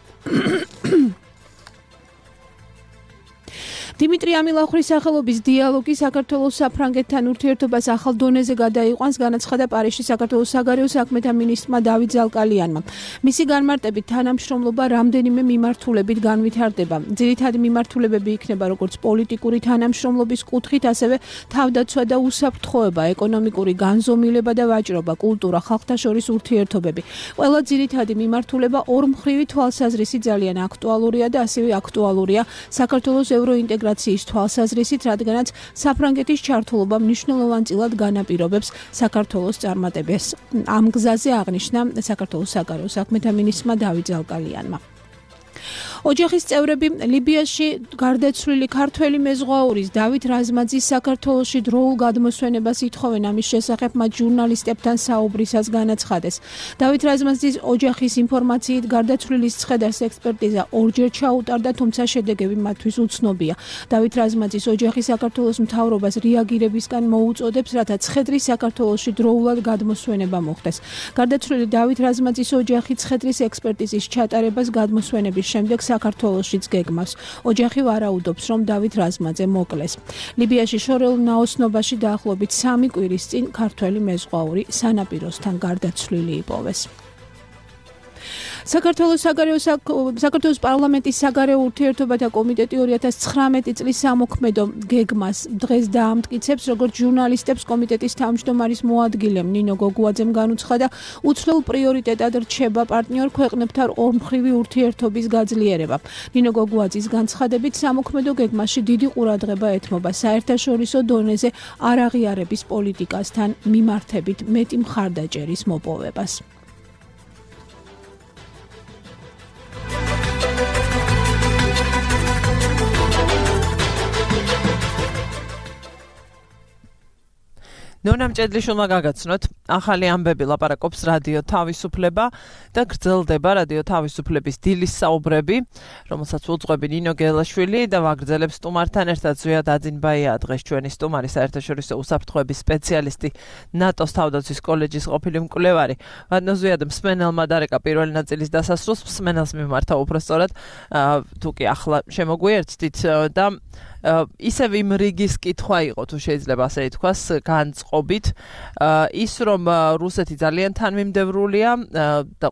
Speaker 7: დიმიტრი ამილახვრის სახელობის დიალოგი საქართველოს საფრანგეთთან ურთიერთობას ახალ დონეზე გადაიყვანს, განაცხადა პარიზში საქართველოს საგარეო საქმეთა მინისტრმა დავით ზალკალიანმა. მისი განმარტებით თანამშრომლობა რამდენიმე მიმართულებით განვითარდება. ძირითადი მიმართულებები იქნება როგორც პოლიტიკური თანამშრომლობის კუთხით, ასევე თავდაცვა და უსაფრთხოება, ეკონომიკური განზომილება და ვაჭრობა, კულტურა, ხალხთა შორის ურთიერთობები. ყველა ძირითადი მიმართულება ორმხრივი თვალსაზრისით ძალიან აქტუალურია და ასევე აქტუალურია საქართველოს ევროინტეგრაციის თვალსაზრისით, რადგანაც საფრანგეთის ჩართულობა მნიშვნელოვანწილად განაპირობებს საქართველოს წარმატებას. ამ გზაზე აღნიშნა საქართველოს საგარეო საქმეთა მინისტრმა დავით ზალკალიანმა. ოჯახის წევრები ლიბიაში გარდაცვლილი ქართველი მეზღვაურის დავით რაზმაძის საქართველოში დროულ გადმოსვენებას ითხოვენ. ამის შესახებ მათ ჟურნალისტებთან საუბრისას განაცხადეს. დავით რაზმაძის ოჯახის ინფორმაციით გარდაცვლილის ცხედარს ექსპერტიზა ორჯერ ჩაუტარდა, თუმცა შედეგები მათთვის უცნობია. დავით რაზმაძის ოჯახი საქართველოს მთავრობას რეაგირებისგან მოუწოდებს, რათა ცხედრის საქართველოში დროულად გადმოსვენება მოხდეს. გარდაცვლილი დავით რაზმაძის ოჯახი ცხედრის ექსპერტიზის ჩატარებას გადმოსვენების შემდეგ საქართველოშიც გეგმავს. ოჯახი ვარაუდობს, რომ დავით რაზმაძე მოკლეს. ლიბიაში შორეულ ნაოსნობაში დაახლოებით 3 კვირის წინ ქართველი მეზღვაური სანაპიროსთან გარდაცვლილი იპოვეს. საქართველოს პარლამენტის საგარეო ურთიერთობათა კომიტეტი 2019 წლის სამოქმედო გეგმას დღეს დაამტკიცებს, როგორც ჟურნალისტებს კომიტეტის თავმჯდომარის მოადგილემ ნინო გოგუაძემ განუცხადა, უცვლელ პრიორიტეტად რჩება პარტნიორ ქვეყნებთან ორმხრივი ურთიერთობის გაძლიერება. ნინო გოგუაძის განცხადებით, სამოქმედო გეგმაში დიდი ყურადღება ეთმობა საერთაშორისო დონეზე არაღიარების პოლიტიკასთან მიმართებით მეტი მხარდაჭერის მოპოვებას.
Speaker 2: ნონა მჭედლიშვილმა გაგაცნოთ, ახალი ამბები ლაპარაკობს რადიო თავისუფლება და გრძელდება რადიო თავისუფლების დილის საუბრები, რომელსაც უძღვები ნინო გელაშვილი და ვაგრძელებს სტუმართან ერთად ზვიად აძინბაია დღეს ჩვენი სტუმარი საერთაშორისო უსაფრთხოების სპეციალისტი ნატოს თავდაცვის კოლეჯის ყოფილი მკვლევარი. ვადნო ზვიად მსმენელმა დარეკა პირველი ნაწილის დასასრულს, მსმენელს მიმართა უბრალოდ თუ კი ახლა შემოგვიერთდით და ისევ იმ რიგის კითხვა იყო, თუ შეიძლება ასე ითქვას, განწყობით, ის რომ რუსეთი ძალიან თანმიმდევრულია და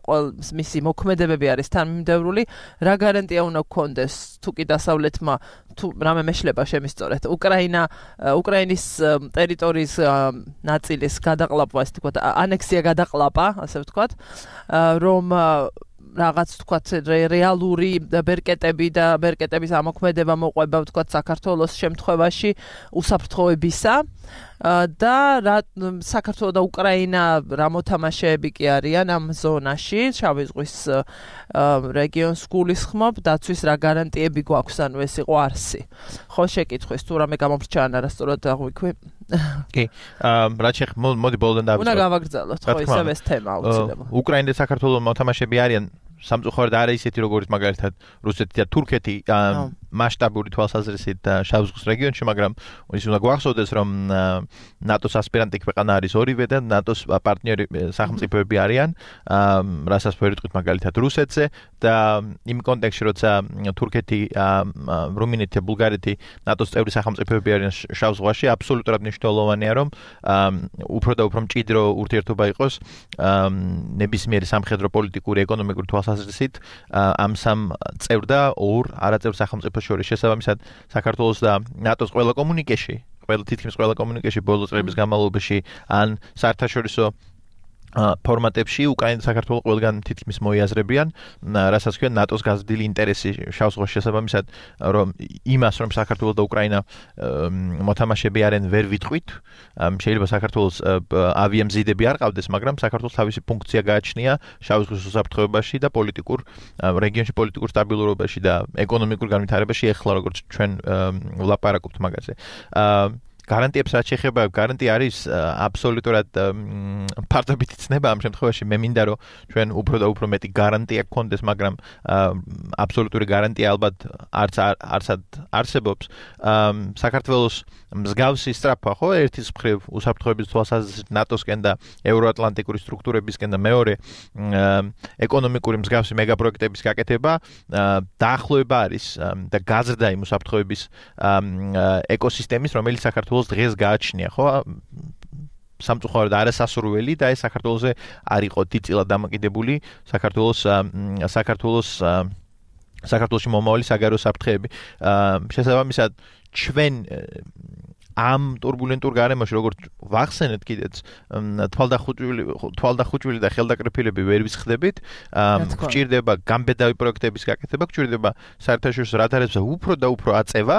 Speaker 2: მისი მოქმედებები არის თანმიმდევრული, რა გარანტია უნდა გქონდეს, თუ კი დასავლეთმა თუ რამე მეშლება შემისწორეთ, უკრაინის ტერიტორიის ნაწილის გადაყლაპვა, ასე ვთქვათ, ანექსია გადაყლაპა, ასე ვთქვათ, რომ რაღაც თქვათ რეალური ბერკეტები და ბერკეტების ამოქმედება მოყვება თქვათ საქართველოს შემთხვევაში უსაფრთხოებისა და საქართველო და უკრაინა რა მოთამაშეები კი არიან ამ ზონაში, შავი ზღვის რეგიონს გულისხმობ, დაცვის რა გარანტიები გვაქვს, ანუ ეს იყო არსი. ხო, შეკითხვის თუ რამე გამოვრჩა ან არასწორად აღვიქვი?
Speaker 3: კი, რაც მოდი ბოლოდან დავიწყოთ.
Speaker 2: უნდა გავაგრძელოთ, ხო, ისევ ეს თემა აუცილებლად.
Speaker 3: უკრაინა და საქართველოს მოთამაშეები არიან სამწუხაროდ არ არის ისეთი როგორც მაგალითად რუსეთი და თურქეთი მასშტაბური თვალსაზრისით შავ ზღვის რეგიონში, მაგრამ ის უნდა გვახსოვდეს, რომ ნატოს ასპირანტი ქვეყანა არის ორივე და ნატოს პარტნიორი სახელმწიფოები არიან, რასაც ვერ ვიტყვით მაგალითად რუსეთზე და იმ კონტექსტში, როცა თურქეთი, რუმინეთი და ბულგარეთი ნატოს წევრი სახელმწიფოები არიან შავ ზღვაში, აბსოლუტურად მნიშვნელოვანია, რომ უფრო და უფრო მჭიდრო ურთიერთობა იყოს ნებისმიერი სამხედრო პოლიტიკური ეკონომიკური თვალსაზრისით ამ სამ წევრ და ორ არაწევრ სახელმწიფოს შორის. შესაბამისად, საქართველოს და ნატოს თითქმის ყველა კომუნიკეში ბოლო წლების განმავლობაში ან საერთაშორისო ფორმატებში უკრაინა და საქართველო ყველგან თითქმის მოიაზრებიან, რასაც ქვია ნატოს გაზრდილი ინტერესი შავ ზღვაში. შესაბამისად, რომ იმას, რომ საქართველო და უკრაინა მოთამაშეები არიან, ვერ ვიტყვით. შეიძლება საქართველოს ავიამზიდები არ ყავდეს, მაგრამ საქართველოს თავისი ფუნქცია გააჩნია შავ ზღვის უსაფრთხოებაში და რეგიონში პოლიტიკურ სტაბილურობაში და ეკონომიკურ განვითარებაში, ეხლა როგორც ჩვენ ვლაპარაკობთ მაგაზე. გარანტიებს რაც შეეხება, გარანტია არის აბსოლუტურად ფარდობითი ცნება ამ შემთხვევაში. მე მინდა რომ ჩვენ უფრო და უფრო მეტი გარანტია გქონდეს, მაგრამ აბსოლუტური გარანტია ალბათ არც არსებობს. საქართველოს მსგავსი სწრაფვა, ხო, ერთის მხრივ უსაფრთხოების თვალსაზრისით ნატოსკენ და ევროატლანტიკური სტრუქტურებისკენ და მეორე ეკონომიკური მსგავსი მეგაპროექტების გაკეთება დაახლოება არის და გაზრდა იმ უსაფრთხოების ეკოსისტემის, რომელიც საქართველოს დღეს გააჩნია, ხო? სამწუხაროდ არასასურველი და ეს საქართველოზე არ იყო დიდწილად დამოკიდებული საქართველოში მომავალი საგარეო საფრთხეები. შესაბამისად, ჩვენ ამ турბულენტურ გარემოში როგორც ვახსენეთ კიდეც თვალდახუჭვილი და ხელდაკრეფილები ვერ ვისხდებით გვჭირდება გამბედავი პროექტების გაკეთება გვჭირდება საერთაშორისო რადარებზე უფრო და უფრო აწევა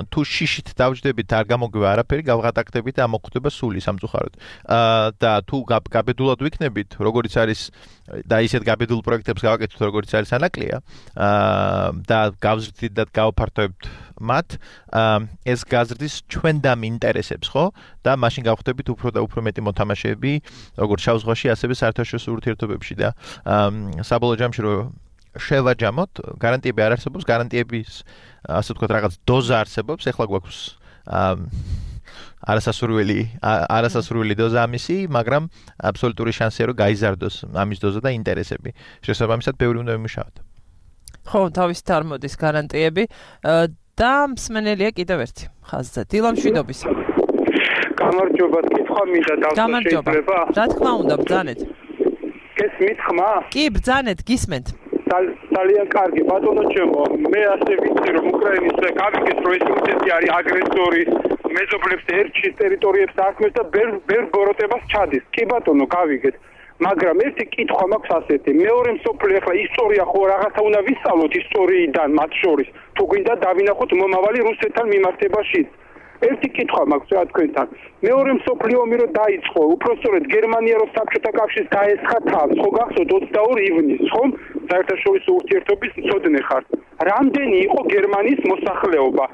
Speaker 3: თუ შიშით დავჯდებით არ გამოგვივა არაფერი გავღატაკდებით და მოხვდება სული სამწუხაროდ და თუ გაბედულად ვიქნებით როგორიც არის და ისეთ გაბედულ პროექტებს გავაკეთოთ როგორიც არის ანაკლია და გავზრდით და გავფართოებთ მათ ეს გაზრდის ჩვენდამ ინტერესებს ხო და მაშინ გავხდებით უფრო და უფრო მეტი მოთამაშეები როგორც შავ ზღვაში ასევე საერთაშორისო ურთიერთობებში და საბოლოო ჯამში რომ შევაჯამოთ გარანტიები არ არსებობს გარანტიების ასე ვთქვათ რაღაც დოზა არსებობს ეხლა გვაქვს არასასურველი დოზა ამისი მაგრამ აბსოლუტური შანსია რომ გაიზარდოს ამის დოზა და ინტერესები შესაბამისად ბევრი უნდა ვიმუშაოთ
Speaker 2: ხო თავისით არ მოდის გარანტიები და მსმენელია კიდევ ერთი ხაზზე დილამ შვიდობის
Speaker 6: გამარჯობა კითხვა მინდა დავსვა შეიძლება
Speaker 2: რა თქმა უნდა ბრძანეთ
Speaker 6: გესმით ხმა
Speaker 2: კი ბრძანეთ გისმენთ
Speaker 6: ძალიან კარგი ბატონო ჩემო მე ასე ვიცი რომ უკრაინის გავიგეთ რომ ეს რუსეთი არის აგრესორი მეზობლებს ერჩის ტერიტორიებს აქმნის და ბერ ბოროტებას ჩადის კი ბატონო გავიგეთ მაგრამ ერთი კითხვა მაქვს ასეთი მეორე მსოფლიო ახლა ისტორია ხო რაღაცა უნდა ვისწავლოთ ისტორიიდან მათ შორის თუ გვინდა დავინახოთ მომავალი რუსეთთან მიმართებაში ერთი კითხვა მაქვს რა თქვენთან მეორე მსოფლიო ომი რო დაიწყო უпростоრედ გერმანია რო საბჭოთა კავშირს დაესხა თავს ხო გახსოვთ 22 ივნისს ხო საერთაშორისო ურთიერთობის მცოდნე ხართ რამდენი იყო გერმანიის მოსახლეობა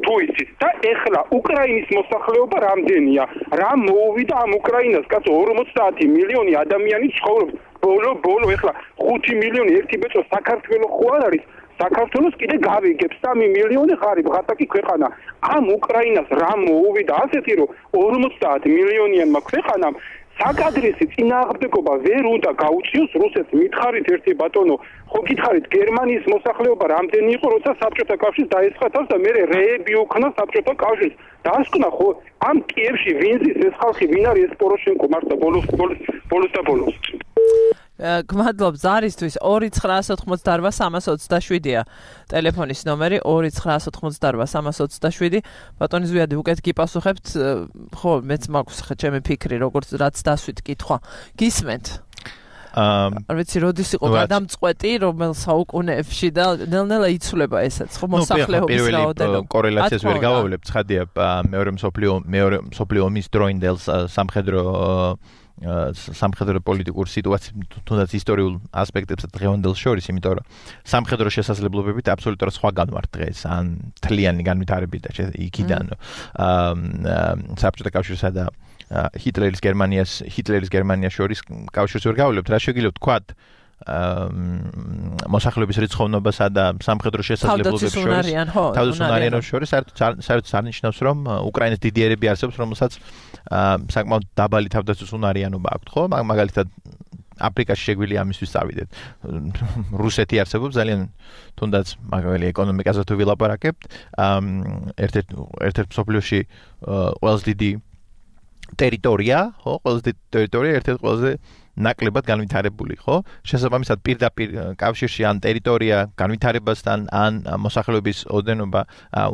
Speaker 6: თუ იცით და ეხლა უკრაინის მოსახლეობა რამდენია რა მოუვიდა ამ უკრაინას კაცო 50 მილიონი ადამიანი ცხოვრობს ბოლო ეხლა 5 მილიონი ერთი ბეწო საქართველოს ხო არ არის საქართველოს კიდე გავიგებს 3 მილიონი ღარიბ ღატაკი ქვეყანა ამ უკრაინას რა მოუვიდა ასეთი რომ 50 მილიონიანმა ქვეყანამ საკადრისი წინააღმდეგობა ვერ უნდა გაუწიოს რუსეთს მითხარით ერთი ბატონო ხო გითხარით გერმანიის მოსახლეობა რამდენი იყო როცა საბჭოთა კავშირს დაესხა თავს და მე რეები უქნა საბჭოთა კავშირს დაასკვნა ხო ამ კიევში ვინ ზის ეს ხალხი ვინ არის ეს პოროშენკო მართლა ბოლოს
Speaker 2: გმადლობ ზარისთვის 2988327-ია ტელეფონის ნომერი 2988327 ბატონი ზვიადი უკეთ გიპასუხებთ ხო მეც მაქვს ხა ჩემი ფიქრი როგორც რაც დასვით კითხვა გისმენთ არ ვიცი როდის იყო გადამწყვეტი რომელ საუკუნეებში და ნელ-ნელა იცვლება ესეც ხო მოსახლეობის რაოდენობა
Speaker 3: კორელაციას ვერ გავავლებთ ცხადია მეორე მსოფლიო ომის დროინდელ სამხედრო პოლიტიკურ სიტუაციას თუნდაც ისტორიულ ასპექტებს დღევანდელ შორის, იმიტომ რომ სამხედრო შესაძლებლობებით აბსოლუტურად სხვაგან ვართ დღეს, ან თლიანი განვითარებით და იქიდან საბჭოთა კავშირსა და ჰიტლერის გერმანიას შორის კავშირს ვერ გავლებთ, რა შეგიძლიათ ვთქვათ მოსახლეობის რიცხოვნობასა და სამხედრო შესაძლებლობებს შორის საერთოდ არნიშნავს რომ უკრაინის დიდიერები არსებობს რომელსაც საკმაოდ დაბალი თავდაცვის უნარიანობა აქვს ხო მაგალითად აფრიკაში შეგვიძლია ამისთვის წავიდეთ რუსეთი არსებობს ძალიან თუნდაც მაგალითად ეკონომიკაზე თუ ვილაპარაკებთ ერთ-ერთ მსოფლიოში ყველაზე დიდი ტერიტორია ხო ყველაზე დიდი ტერიტორია ერთ-ერთ ყველაზე ნაკლებად განვითარებული, ხო? შესაბამისად პირდაპირ კავშირში ან ტერიტორია განვითარებასთან ან მოსახლეობის ოდენობა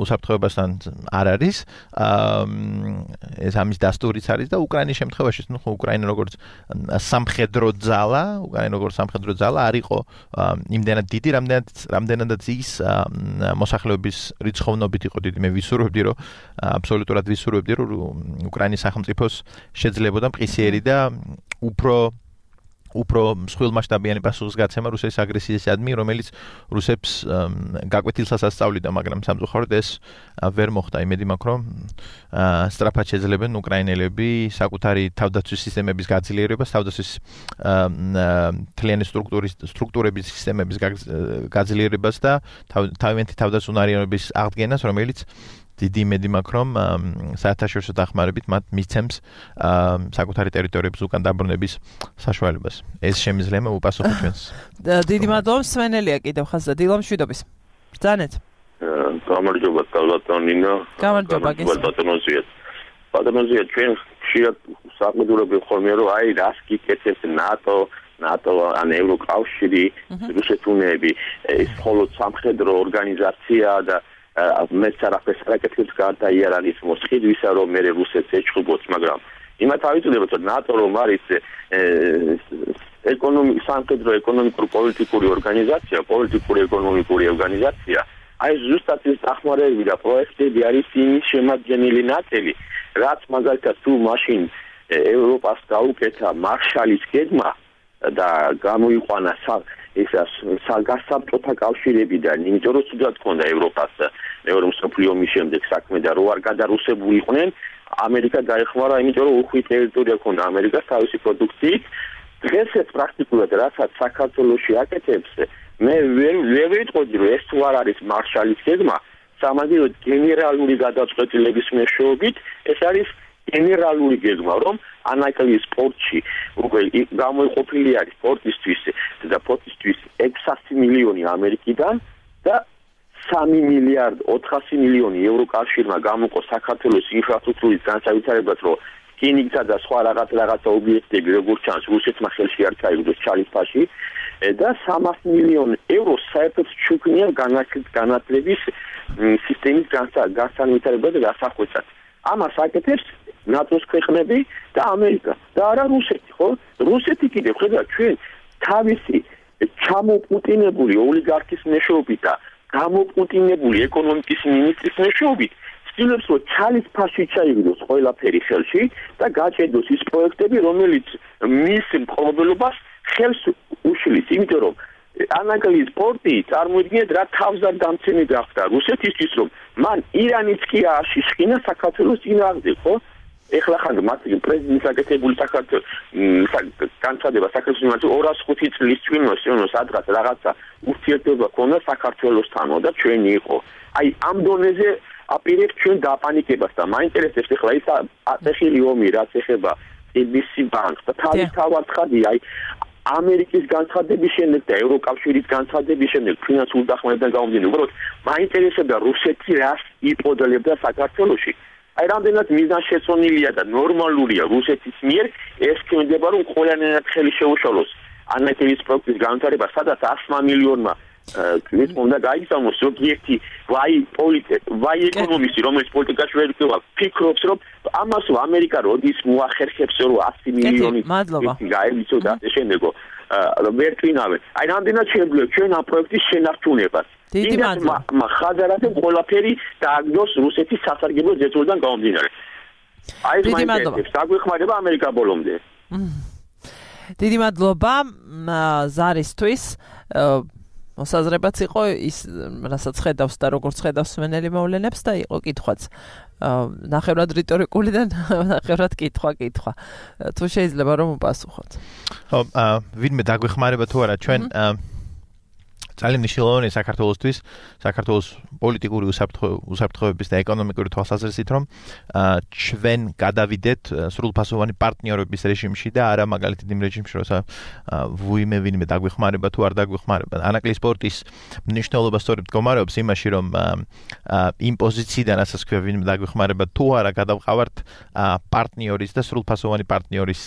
Speaker 3: უსაფრთხოებასთან არ არის. ეს ამის დასტურიც არის და უკრაინის შემთხვევაში, ნუ უკრაინა როგორც სამხედრო ძალა არ იყო იმდენად დიდი, რამდენადაც ის მოსახლეობის რიცხოვნობით იყო დიდი. მე ვისურვებდი, რომ აბსოლუტურად ვისურვებდი, რომ უკრაინის სახელმწიფოს შეძლებოდა მყისიერი და უფრო მსხვილმასშტაბიანი პასუხისგაცემა რუსეთის აგრესიისადმი, რომელიც რუსებს გაკვეთილსაც ასწავლიდა, მაგრამ სამწუხაროდ ეს ვერ მოხდა. იმედი მაქვს, რომ სწრაფად შეძლებენ უკრაინელები საკუთარი თავდაცვის სისტემების გაძლიერებას, თავდაცვის თლიანი სტრუქტურების სისტემების გაძლიერებას და თავიანთი თავდაცუნარიანობის აღდგენას, რომელიც დიდი იმედი მაქვს, რომ საერთაშორისო დახმარებით მათ მისცემს საკუთარი ტერიტორიების უკან დაბრუნების საშუალებას. ეს შემიძლია უპასუხო ჩვენს.
Speaker 2: დიდი მადლობა, სვენელია კიდევ ხაზზე. დილამ შვიდობის. ბრძანეთ.
Speaker 8: გამარჯობა, ბატონინო.
Speaker 2: გამარჯობა,
Speaker 8: ბატონო, ჩვენ ხშირად საყიდულები ხოლმე რომ აი რას გიკეთებს ნატო ან ევროკავშირი, რუსეთუნები, ეს მხოლოდ სამხედრო ორგანიზაცია და მეც არაფერს არაკეთებს გარდა იარაღის მოსყიდვისა, რომ მე რუსეთს ეჩხუბოთ, მაგრამ იმათ ავიწოდებთ, რომ ნატო რომ არის სამხედრო ეკონომიკური პოლიტიკური ორგანიზაცია, პოლიტიკური ეკონომიკური ორგანიზაცია, აი ზუსტად ეს დახმარებები და პროექტები არის იმის შემადგენელი ნაწილი, რაც მაგალითად თუ მაშინ ევროპას დაუკეთა მარშალის გეგმა და გამოიყვანა საგასაბჭოთა კავშირებიდან, იმიტომ რომ თუნდაც ჰქონდა ევროპას მეორე მსოფლიო ომის შემდეგ საქმე და რო არ გადარუსებულიყვნენ, ამერიკა დაეხმარა, იმიტომ რომ უხვი ტერიტორია ჰქონდა ამერიკას თავისი პროდუქციით. დღესაც პრაქტიკულად რასაც საქართველოში აკეთებს, მე ვერ ვიტყოდი, რომ ეს თუ არ არის მარშალის გეგმა, სამაგიეროდ გენერალური გადაწყვეტილების მეშვეობით, ეს არის გენერალური გეგმა, რომ ანაკლიის სპორტში უკვე გამოიყოფილი არის სპორტისთვის და სპორტისთვის 600 მილიონი ამერიკიდან და 3 მილიარდ 400 მილიონი ევროკავშირმა გამოყო საქართველოს ინფრასტრუქტურის განსავითარებლად, რომ რკინიგზა და სხვა რაღაცა ობიექტები, როგორც ჩანს, რუსეთმა ხელში არ ჩაიგდოს ჩალისფაში და 300 მილიონი ევრო საერთოდ ჩუქნია განათლების სისტემის განსავითარებლად და დასახვეწად. ამას აკეთებს ნატოს ქვეყნები და ამერიკა და არა რუსეთი, ხო? რუსეთი კიდევ ხედავთ ჩვენ თავისი ჩამოპუტინებული ოლიგარქის მეშვეობით და გამოპუტინებული ეკონომიკის მინისტრის მეშვეობით ცდილობს, რომ ჩალისფაში ჩაიგდოს ყველაფერი ხელში და გაჭედოს ის პროექტები, რომელიც მის მფლობელობას ხელს უშლის, იმიტომ რომ ანაკლიის პორტი წარმოიდგინეთ რა თავზარდამცემი გახდა რუსეთისთვის, რომ მან ირანიც კი ააშიშხინა საქართველოს წინააღმდეგ, ხო? ეხლა ხან მათი პრეზიდენტის აკეთებული საქართველოს განცხადება საქართველოს 205 წლის წინ სადღაც რაღაცა ურთიერთობა ქონდა საქართველოსთან და ჩვენი იყო. აი ამ დონეზე აპირებთ ჩვენ დაპანიკებას და მაინტერესებს ეხლა ის აწეხილი ომი რაც ეხება ABC ბანკს და თავად ხადია აი ამერიკის განცხადების შემდეგ და ევროკავშირის განცხადების შემდეგ ფინანსურ დახმარებიდან გამომდინარე, უბრალოდ მაინტერესებდა რუსეთი რას იპოდლებდა საქართველოში. აი რამდენად მიზანშეწონილია და ნორმალურია რუსეთის მიერ ეს ქმედება, რომ ყველანაირად ხელი შეუშალოს ანაკლიის პროექტის განვითარება, სადაც 100 მილიონმა ეს უნდა გაიგზავნოს ზოგიერთი ვაი ეკონომისტი, რომელიც პოლიტიკაში ვერ იქნება, ფიქრობს, რომ ამას ამერიკა როდის მოახერხებს, რომ 100 მილიონი გაემიცო და შემდეგო ვერ twinავენ. აი რამდენად შეგვიძლია ჩვენ ამ პროექტის შენარჩუნებას.
Speaker 2: დიდი მადლობა.
Speaker 8: ხაზარადე ყველაფერი დააგდოს რუსეთის სასარგებლო ზეწოლიდან გამომდინარე. აი ეს მაინტერესებს, დაგვეხმარება ამერიკა ბოლომდე.
Speaker 2: დიდი მადლობა ზარისთვის. მოსაზრებაც იყო ის, რასაც ხედავს და როგორც ხედავს სვენელი მოვლენებს და იყო კითხვაც. ნახევრად რიტორიკული და ნახევრად კითხვა. თუ შეიძლება რომ უპასუხოთ.
Speaker 3: ხო, ვინმე დაგვეხმარება თუ არა ჩვენ ძალიან მნიშვნელოვანია საქართველოსთვის, საქართველოს პოლიტიკური უსაფრთხოების და ეკონომიკური თვალსაზრისით, რომ ჩვენ გადავიდეთ სრულფასოვანი პარტნიორობის რეჟიმში და არა მაგალითად იმ რეჟიმში, როცა ვინმე დაგვეხმარება თუ არ დაგვეხმარება. ანაკლიის სპორტის მნიშვნელობა სწორედ მდგომარეობს იმაში, რომ იმ პოზიციიდან, რასაც ქვია ვინმე დაგვეხმარება თუ არა გადავყავართ პარტნიორის და სრულფასოვანი პარტნიორის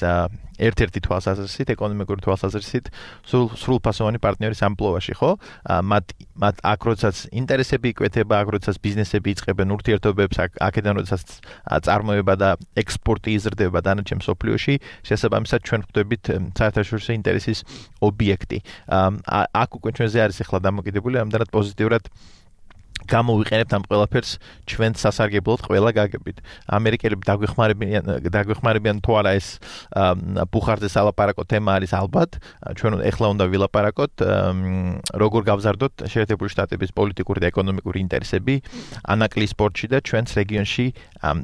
Speaker 3: ერთ-ერთი თვალსაზრისით, ეკონომიკური თვალსაზრისით, სრულფასოვანი პარტნიორის ამპლუაში, ხო? მათ აქ როდესაც ინტერესები იკვეთება, აქ როდესაც ბიზნესები იწყებენ ურთიერთობებს, აქედან როდესაც წარმოება და ექსპორტი იზრდება დანარჩენ მსოფლიოში, შესაბამისად ჩვენ ვხვდებით საერთაშორისო ინტერესის ობიექტი. აქ უკვე ჩვენზე არის ახლა დამოკიდებული, ამდენად პოზიტიურად გამოვიყენებთ ამ ყველაფერს ჩვენს სასარგებლოდ ყველა გაგებით. ამერიკელები დაგვეხმარებიან თუ არა ეს ბუხარზე სალაპარაკო თემა არის ალბათ. ჩვენ ეხლა უნდა ვილაპარაკოთ როგორ გავზარდოთ შეერთებული შტატების პოლიტიკური და ეკონომიკური ინტერესები ანაკლიის სპორტში და ჩვენს რეგიონში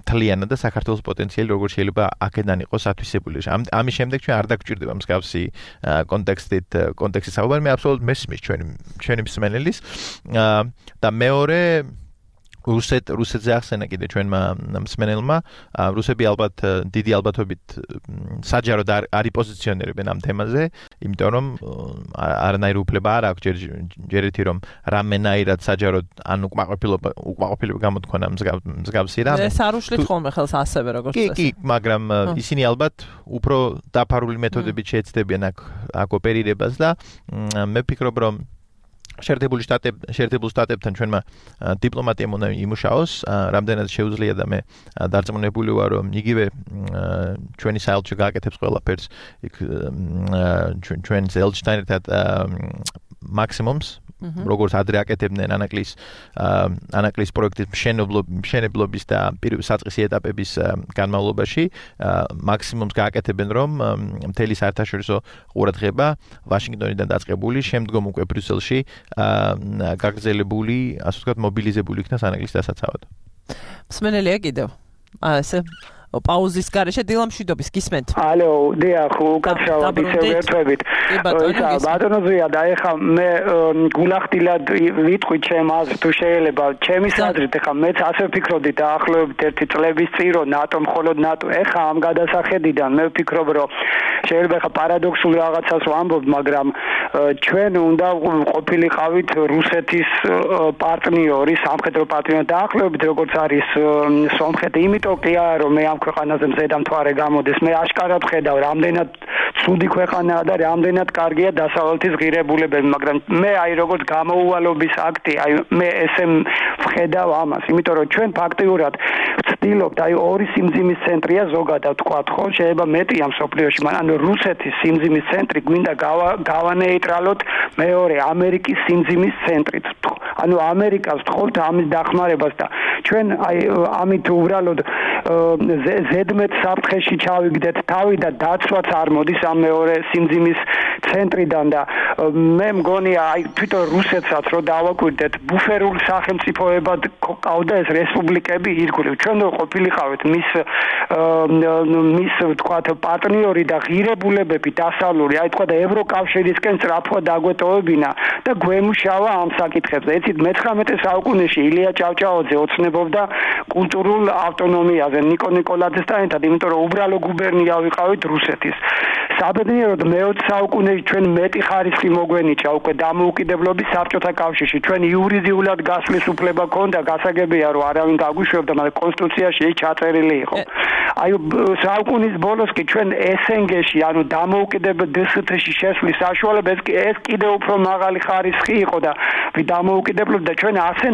Speaker 3: მთლიანად და საქართველოს პოტენციალი როგორ შეიძლება აქედან იყოს ათვისებული. ამის შემდეგ ჩვენ არ დაგვჭირდება მსგავსი კონტექსტის საუბარი. მე აბსოლუტურად მესმის ჩვენი მსმენელის და მეორე რუსეთზე ახსენა კიდე ჩვენმა მსმენელმა, რუსები ალბათ დიდი ალბათობით საჯაროდ არ იპოზიციონირებენ ამ თემაზე, იმიტომ რომ არანაირი უფლება არ აქვს ჯერ ერთი რომ რამენაირად საჯაროდ ან უკმაყოფილება გამოთქვანა მსგავსი რამე.
Speaker 2: ეს არ უშლით ხოლმე ხელს ასევე როგორც წესი.
Speaker 3: კი, მაგრამ ისინი ალბათ უფრო დაფარული მეთოდებით შეეცდებიან აქ ოპერირებას და მე ვფიქრობ რომ შეერთებული შტატებთან ჩვენმა დიპლომატიამ უნდა იმუშაოს, რამდენად შეუძლია და მე დარწმუნებული ვარ, რომ იგივე ჩვენი საელჩო გააკეთებს ყველაფერს იქ ჩვენს ელჩთან ერთად მაქსიმუმს როგორც ადრე აკეთებდნენ ანაკლის პროექტის მშენებლობის და საწყისი ეტაპების განმავლობაში მაქსიმუმს გააკეთებენ, რომ მთელი საერთაშორისო ყურადღება ვაშინგტონიდან დაწყებული, შემდგომ უკვე ბრიუსელში გაგრძელებული, ასე ვთქვათ, მობილიზებული იქნას ანაკლის დასაცავად.
Speaker 2: მსმენელია კიდევ. ესე პაუზის გარეშე დილამშვიდობის გისმენთ.
Speaker 6: ალო, დიახ, უკაცრავად ისევ ერთვებით. ბატონო ზვია და ეხლა მე გულახდილად ვიტყვი ჩემ აზრს თუ შეიძლება, ჩემის აზრით ეხლა მეც ასე ვფიქრობდი დაახლოებით 1 წლების წინ რომ ნატო მხოლოდ ნატო ეხლა ამ გადასახედიდან მე ვფიქრობ რომ შეიძლება ეხლა პარადოქსულ რაღაცას ვამბობ, მაგრამ ჩვენ უნდა ყოფილიყავით რუსეთის პარტნიორი, სამხედრო პარტნიორი დაახლოებით როგორც არის სომხეთი, იმიტომ კი არა რომ მე ამ ქვეყანაზე მზედამთვარე გამოდეს, მე აშკარად ხედავ რამდენად ცუდი ქვეყანაა და რამდენად კარგია დასავლეთის ღირებულებები, მაგრამ მე აი როგორც გამოუვალობის აქტი, აი მე ესე ვხედავ ამას, იმიტომ რომ ჩვენ ფაქტიურად ვცდილობთ, აი ორი სიმძიმის ცენტრია ზოგადად თქვა, ხო, შეიძლება მეტია მსოფლიოში, მაგრამ რუსეთის სიმძიმის ცენტრი გვინდა გავანეიტრალოთ მეორე ამერიკის სიმძიმის ცენტრით. ანუ ამერიკას ვთხოვთ ამის დახმარებას და ჩვენ აი ამით უბრალოდ ზედმეტ საფრთხეში ჩავიგდეთ თავი და დაცვაც არ მოდის ამ მეორე სიმძიმის ცენტრიდან და მე მგონია აი თვითონ რუსეთსაც რო დავაკვირდეთ ბუფერულ სახელმწიფოებად ყავდა ეს რესპუბლიკები ირგვლივ ჩვენ ყოფილიყავით მის თქვათ პარტნიორი და ღირებულებები დასავლური აი თქვათ ევროკავშირისკენ სწრაფად დაგვეტოვებინა და გვემუშავა ამ საკითხებზე ეცით მე-19 საუკუნეში ილია ჭავჭაოძე ოცნებობდა კულტურულ ავტონომიაზე ნიკო ნიკოლაძესთან ერთად იმიტომ რომ უბრალო გუბერნია ვიყავით რუსეთის საბედნიეროდ მე-20 საუკუნეში ჩვენ მეტი ხარისხი მოგვენიჭა უკვე დამოუკიდებლობის საბჭოთა კავშირში ჩვენ იურიდიულად გასვლის უფლება ჰქონდა გასაგებია რომ არავინ გაგვიშვებდა მაგრამ კონსტიტუციაში ის ჩაწერილი იყო აი საუკუნის ბოლოს კი ჩვენ SNG-ში ანუ დამოუკიდებელ DST-ში შესვლის საშუალება ეს კიდევ უფრო მაღალი ხარისხი იყო და დამოუკიდებლობა და ჩვენ ასე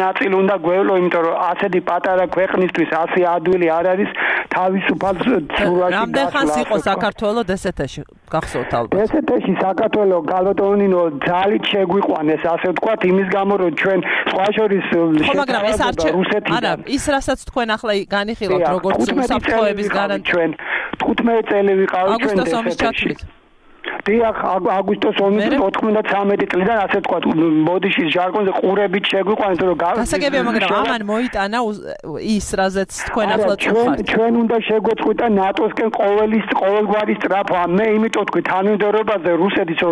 Speaker 6: ნაწილ უნდა გვევლო იმიტომ რომ ასეთი პატარა ქვეყნისთვის ასე ადვილი არ არის თავისუფალ ცურვაში
Speaker 2: რამდენ ხანს იყო საქართველოს DST-ში გახსოვთ ალბათ
Speaker 6: DST-ში საქართველოს გალოტონინო ძალით შეგვიყვანეს ასე ვთქვათ იმის გამო რომ ჩვენ სხვა შორის
Speaker 2: მაგრამ ეს არა ის რასაც თქვენ ახლა განიხილავთ როგორც უსაფრთხოების გარანტია
Speaker 6: ჩვენ 15 წელი ვიყავით ჩვენ
Speaker 2: აგვისტოს ომის ჩათვლით
Speaker 6: დიახ აგვისტოს ომის 93 წლიდან ასე ვთქვათ მოდიშის ჟარგონზე ყურებით შეგვიყვანეთ რომ
Speaker 2: გასაგებია მაგრამ ამან მოიტანა ის რაზეც თქვენ ახლა წუხართ
Speaker 6: ჩვენ უნდა შეგვეწყვიტა ნატოსკენ ყოველგვარი სწრაფვა მე იმიტომ თქვი თანმიმდევრობაზე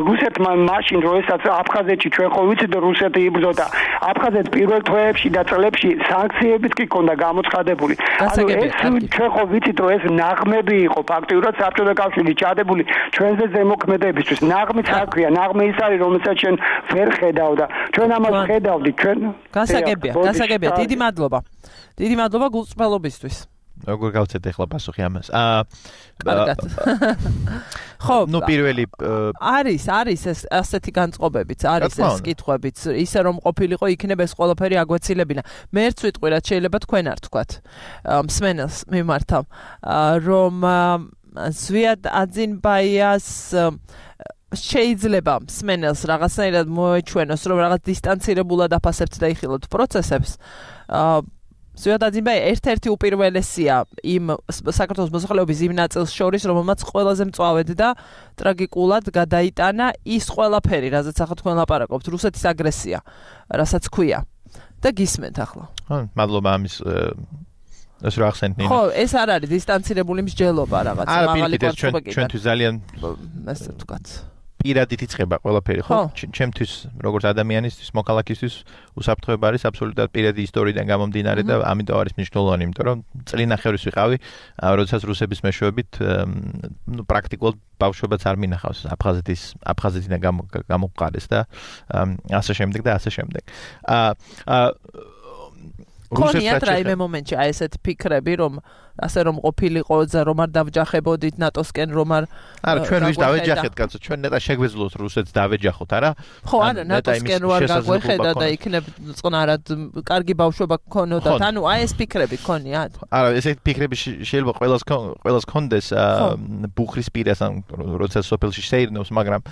Speaker 6: რუსეთმა მაშინ რომ ესაც აფხაზეთში ჩვენ ხო ვიცით რომ რუსეთი იბრძოდა აფხაზეთს პირველ თვეებში და წლებში სანქციებიც კი ქონდა გამოცხადებული ანუ ეს ჩვენ ხო ვიცით რომ ეს ნაღმები იყო ფაქტიურად საბჭოთა კავშირში ჩადებული ჩვენზე ზემოქმედებისთვის ნაღმით აქვია ნაღმე ის არის რომელსაც ჩვენ ვერ ხედავ და ჩვენ ამას ხედავდით ჩვენ
Speaker 2: გასაგებია დიდი მადლობა გულწრფელობისთვის
Speaker 3: როგორ გავცეთ ახლა პასუხი ამას
Speaker 2: კარგად ხო
Speaker 3: ნუ პირველი
Speaker 2: არის ეს ასეთი განწყობებიც არის ეს კითხვებიც ისე რომ ყოფილიყო იქნება ეს ყველაფერი აგვეცილებინა მერც ვიტყვი რაც შეიძლება თქვენ არ თქვათ მსმენელს მიმართავ რომ ზვიად აძინბაიას შეიძლება მსმენელს რაღაცნაირად მოეჩვენოს რომ რაღაც დისტანცირებულად აფასებთ და იხილოთ პროცესებს ზვიად აძინბაია ერთ-ერთი უპირველესია იმ საქართველოს მოსახლეობის იმ ნაწილს შორის რომელმაც ყველაზე მწვავედ და ტრაგიკულად გადაიტანა ის ყველაფერი რაზეც ახლა თქვენ ლაპარაკობთ რუსეთის აგრესია რასაც ქვია და გისმენთ ახლა
Speaker 3: მადლობა ამის ეს რა ახსენეთ ნინო
Speaker 2: ხო ეს არ არის დისტანცირებული მსჯელობა რაღაც
Speaker 3: მაღალი კვარტობა ჩვენთვის ძალიან
Speaker 2: ასე ვთქვათ
Speaker 3: პირადით იწყება ყველაფერი ხო ჩემთვის როგორც ადამიანისთვის მოქალაქისთვის უსაფრთხოება არის აბსოლუტურად პირადი ისტორიიდან გამომდინარე და ამიტომ არის მნიშვნელოვანი იმიტომ რომ წლინახევრის ვიყავი როდესაც რუსების მეშვეობით ნუ პრაქტიკულად ბავშვებაც არ მინახავს აფხაზეთიდან გამოყარეს და ასე შემდეგ
Speaker 2: ქონიათ რაიმე მომენტში აი ესეთი ფიქრები, რომ ასე რომ ყოფილიყო რომ არ დავჯახებოდით ნატოსკენ, რომ
Speaker 3: არა ჩვენ ვის დავეჯახეთ, კაცო, ჩვენ ნეტა შეგვეძლოთ რუსეთს დავეჯახოთ, არა?
Speaker 2: ხო, არა, ნატოსკენ რო არ გაგვეხედა და იქნებ წყნარად კარგი ბავშვობა გქონოდათ. ანუ აი ეს ფიქრები ქონიათ?
Speaker 3: არა, ესეთი ფიქრები შეიძლება ყველას ქონდეს ბუხრის პირას, ან როცა სოფელში შეირნოს, მაგრამ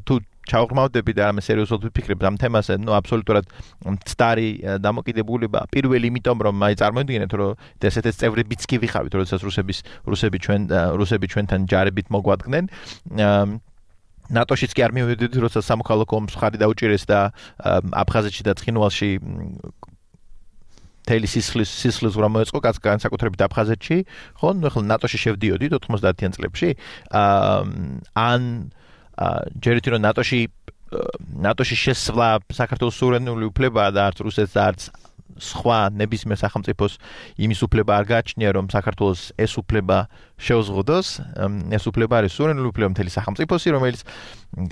Speaker 3: თუ ჩავღრმავდები და ამას სერიოზულად ვიფიქრებ ამ თემაზე, აბსოლუტურად მცდარი დამოკიდებულება პირველი იმიტომ რომ აი წარმოვიდგინეთ რომ ესეთი წევრებიც კი ვიხავით, როდესაც რუსები ჩვენთან ჯარებით მოგვადგნენ. ნატოშიც კი არ მივედით, როცა სამოქალაქო ომს ხარი დაუჭირეს და აფხაზეთში და ცხინვალში თელი სისხლის რა მოეწყო განსაკუთრებით აფხაზეთში, ხო, ნუ ახლა ნატოში შევდიოდით 90-იან წლებში. ან ჯერით რომ ნატოში შესვლა საქართველოს სუვერენული უფლებაა და არც რუსეთს და არც სხვა ნებისმიერ სახელმწიფოს იმის უფლება არ გააჩნია რომ საქართველოს ეს უფლება შეუზღუდოს. ეს უფლება არის სუვერენული უფლება მთელი სახელმწიფოსი, რომელიც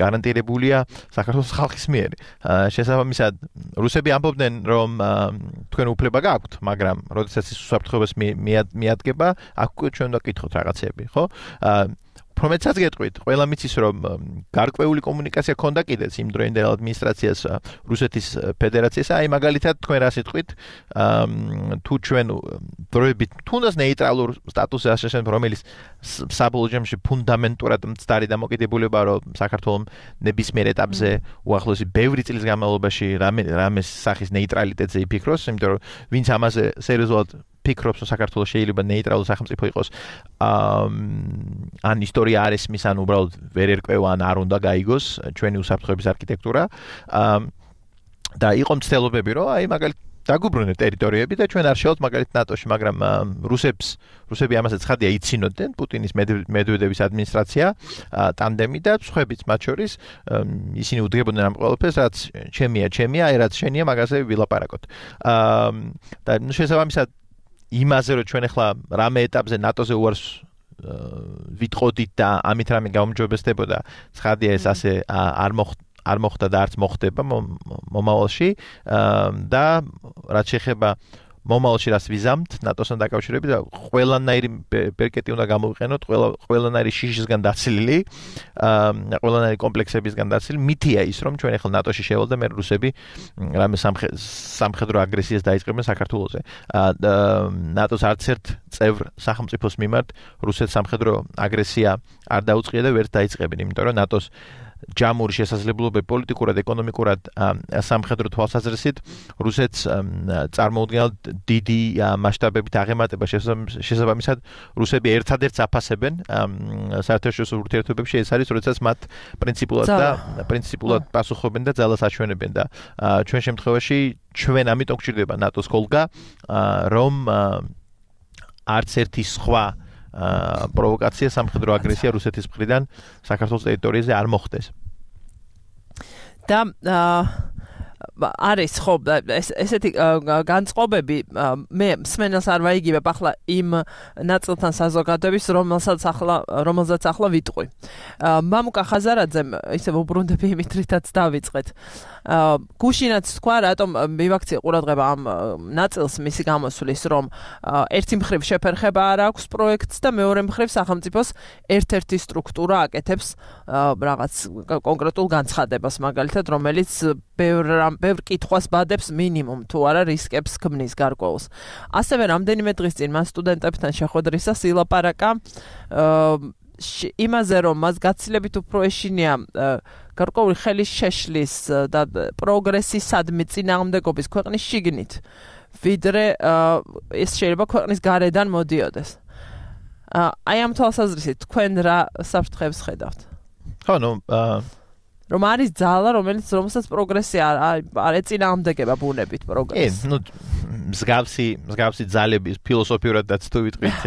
Speaker 3: გარანტირებულია საქართველოს ხალხის მიერ. შესაბამისად რუსები ამბობდნენ რომ თქვენ უფლება გაქვთ, მაგრამ როდესაც ის უსაფრთხოებას მიადგება, აქ ჩვენ უნდა გკითხოთ რაღაცები, ხო? Prometsat გეტყვით, ყველა მიცის რომ გარკვეული კომუნიკაცია ქონდა კიდეც იმ დროინდელ ადმინისტრაციას რუსეთის ფედერაციას, აი მაგალითად თქვენ რა სიტყვით, თუ ჩვენ დროებით თუნდაც ნეიტრალურ სტატუსზე ასაშენებ, რომელიც საბოლოო ჯამში ფუნდამენტურად მცდარი დამოკიდებულება რომ საქართველოს ნებისმიერ ეტაპზე უახლოესი ბევრი წლის განმავლობაში რამეს სახის ნეიტრალიტეტზე იფიქროს, იმიტომ რომ ვინც ამაზე სერიოზულად ფიქრობს, რომ საქართველოს შეიძლება ნეიტრალური სახელმწიფო იყოს, ან ისტორია არ ესმის, ან უბრალოდ ვერ ერკვევა, ან არ უნდა გაიგოს ჩვენი უსაფრთხოების არქიტექტურა. და იყო მცდელობები, რომ აი მაგალითად დაგუბრუნეთ ტერიტორიები და ჩვენ არ შევთ მაგალითად ნატოში, მაგრამ რუსები ამაზე ცხადია იცინოდნენ, პუტინის მედვედევის ადმინისტრაცია, ტანდემი და სხვაებიც მათ შორის ისინი უდგებოდნენ ამ ყველაფერს, რაც ჩემია, აი რაც შენია, მაგაზე ვილაპარაკოთ. და შესაბამისად იმაზე რომ ჩვენ ახლა რამე ეტაპზე ნატოზე უარს ვიტყოდით და ამით რამე გაუმჯობესდებოდა, ცხადია ეს ასე არ მოხდა და არც მოხდება მომავალში და რაც შეეხება მომავალში რაც ვიზამთ ნატოსთან დაკავშირებით და ყველანაირი ბერკეტი უნდა გამოვიყენოთ, ყველანაირი შიშისგან დაცლილი, ყველანაირი კომპლექსებისგან დაცლილი. მითია ის რომ ჩვენ ახლა ნატოში შევალ და მე რუსები რამე სამხედრო აგრესიას დაიწყებენ საქართველოზე. ნატოს არც ერთ წევრ სახელმწიფოს მიმართ რუსეთს სამხედრო აგრესია არ დაუწყია და ვერც დაიწყებენ, იმიტომ რომ ნატოს ჯამური შესაძლებლობები პოლიტიკურად, ეკონომიკურად, სამხედრო თვალსაზრისით რუსეთს წარმოუდგენლად დიდი მასშტაბებით აღემატება. შესაბამისად რუსები ერთადერთს აფასებენ საერთაშორისო ურთიერთობებში, ეს არის როდესაც მათ პრინციპულად პასუხობენ და ძალას აჩვენებენ და ჩვენ შემთხვევაში ჩვენ ამიტომ გვჭირდება ნატოს კოლგა, რომ არც ერთი სხვა პროვოკაცია, სამხედრო აგრესია რუსეთის მხრიდან საქართველოს ტერიტორიაზე არ მოხდეს. და არის ხო ესეთი განწყობები მე მსმენელს არ ვაიგივებ ახლა იმ ნაწილთან საზოგადოების რომელსაც ახლა ვიტყვი. მამუკა ხაზარაძემ ისე უბრუნდები იმით რითაც დავიწყეთ. გუშინაც თქვა რატომ მივაქცია ყურადღება ამ ნაწილს მისი გამოსვლის, რომ ერთი მხრივ შეფერხება არ აქვს პროექტს და მეორე მხრივ სახელმწიფოს ერთ-ერთი სტრუქტურა აკეთებს რაღაც კონკრეტულ განცხადებას, მაგალითად რომელიც ბევრ კითხვას ბადებს მინიმუმ თუ არა რისკებს ქმნის გარკვეულს. ასევე რამდენიმე დღის წინ მას სტუდენტებთან შეხვედრისას ილაპარაკა იმაზე, რომ მას გაცილებით უფრო ეშინია გარკვეული ხელის შეშლის და პროგრესისადმი წინააღმდეგობის ქვეყნის შიგნით, ვიდრე ეს შეიძლება ქვეყნის გარედან მოდიოდეს. აი ამ თვალსაზრისით თქვენ რა საფრთხეებს ხედავთ? ხო, ნუ
Speaker 2: რომ არის ძალა, რომელსაც პროგრესია არ ეწინააღმდეგება ბუნებით პროგრესს.
Speaker 3: ნუ მსგავსი ძალების ფილოსოფიურადაც თუ ვიტყვით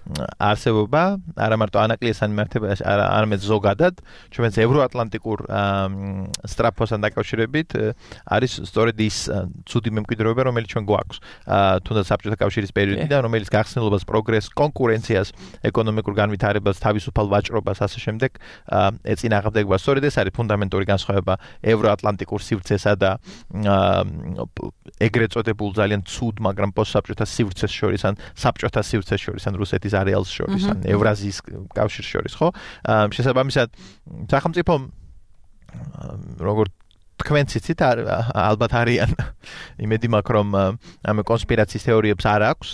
Speaker 3: არსებობა, არა მარტო ანაკლიესთან მიმართებაში, არამედ ზოგადად, ჩვენს ევროატლანტიკურ სტრაფოსთან დაკავშირებით არის სწორედ ის ცუდი მემკვიდრეობა, რომელიც ჩვენ გვაქვს. თუნდაც საბჭოთა კავშირის პერიოდიდან, რომელიც გახსნილობას, პროგრესს, კონკურენციას, ეკონომიკურ განვითარებას, თავისუფალ ვაჭრობას, ასე შემდეგ ეწინააღმდეგება. სწორედ ეს არის ფუნდამენტური განსხვავება ევროატლანტიკურ სივრცესა და ეგრეთ წოდებულ ძალიან ცუდ, მაგრამ პოსტსაბჭოთა სივრცეს შორის ან საბჭოთა სივრცეს შორის ან რუსეთის არეალს შორის ან ევრაზიის კავშირს შორის, ხო? შესაბამისად, სახელმწიფო როგორც თქვენ ციცით ალბათ არიან იმედი მაქვს რომ ამ კონსპირაციის თეორიებს არ აქვს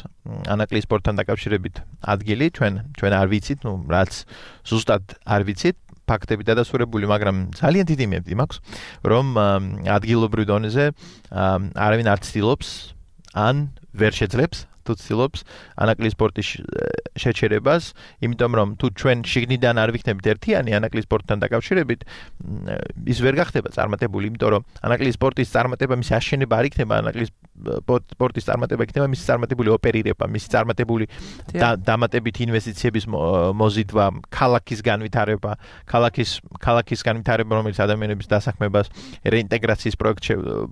Speaker 3: ანაკლიის სპორტთან დაკავშირებით ადგილი ჩვენ არ ვიცით რაც ზუსტად არ ვიცით ფაქტები დადასტურებული მაგრამ ძალიან დიდი იმედი მაქვს რომ ადგილობრივ დონეზე არავინ არ ცდილობს ან ვერ შეძლებს თუ ცდილობს ანაკლიის სპორტის შეჩერებას, იმიტომ რომ თუ ჩვენ შიგნიდან არ ვიქნებით ერთიანი ანაკლიის სპორტთან დაკავშირებით, ის ვერ გახდება წარმატებული, იმიტომ რომ ანაკლიის სპორტის წარმატება, მისი აშენება არ იქნება ანაკლიის სპორტის წარმატება იქნება მისი წარმატებული ოპერირება, მისი წარმატებული დამატებით ინვესტიციების მოზიდვა, ქალაქის განვითარება, ქალაქის განვითარება, რომელიც ადამიანების დასაქმებას, რეინტეგრაციის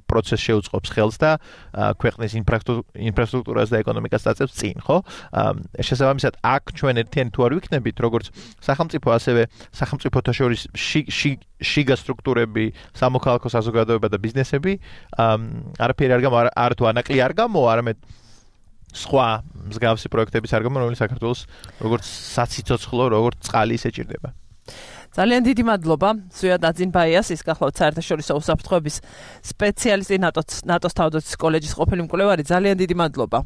Speaker 3: პროცესს შეუწყობს ხელს და ქვეყნის ინფრასტრუქტურას და ეკონომიკას დაწევს წინ, ხო? შესაბამისად, აქ ჩვენ ერთიანი თუ არ ვიქნებით, როგორც სახელმწიფო, ასევე სახელმწიფოთა შორის შიგა სტრუქტურები, სამოქალაქო საზოგადოება და ბიზნესები, არაფერი არ გამო, არ თუ ანაკლი არ გამო, არამედ სხვა მსგავსი პროექტების არ გამო, რომელიც საქართველოს როგორც საციცოცხლო, როგორც წყალი ისე ჭირდება.
Speaker 2: ძალიან დიდი მადლობა ზვიად აძინბაიას ის გახლავთ საერთაშორისო უსაფრთხოების სპეციალისტი ნატოს თავდაცვის კოლეჯის ყოფილი მკვლევარი ძალიან დიდი მადლობა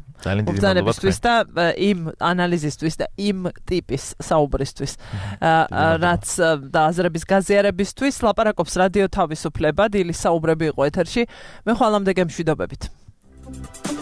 Speaker 2: მობრძანებისთვის და იმ ანალიზისთვის და იმ ტიპის საუბრისთვის რაც და აზრების გაზიარებისთვის ლაპარაკობს რადიო თავისუფლება დილის საუბრები იყო ეთერში მე ხვალამდე გემშვიდობებით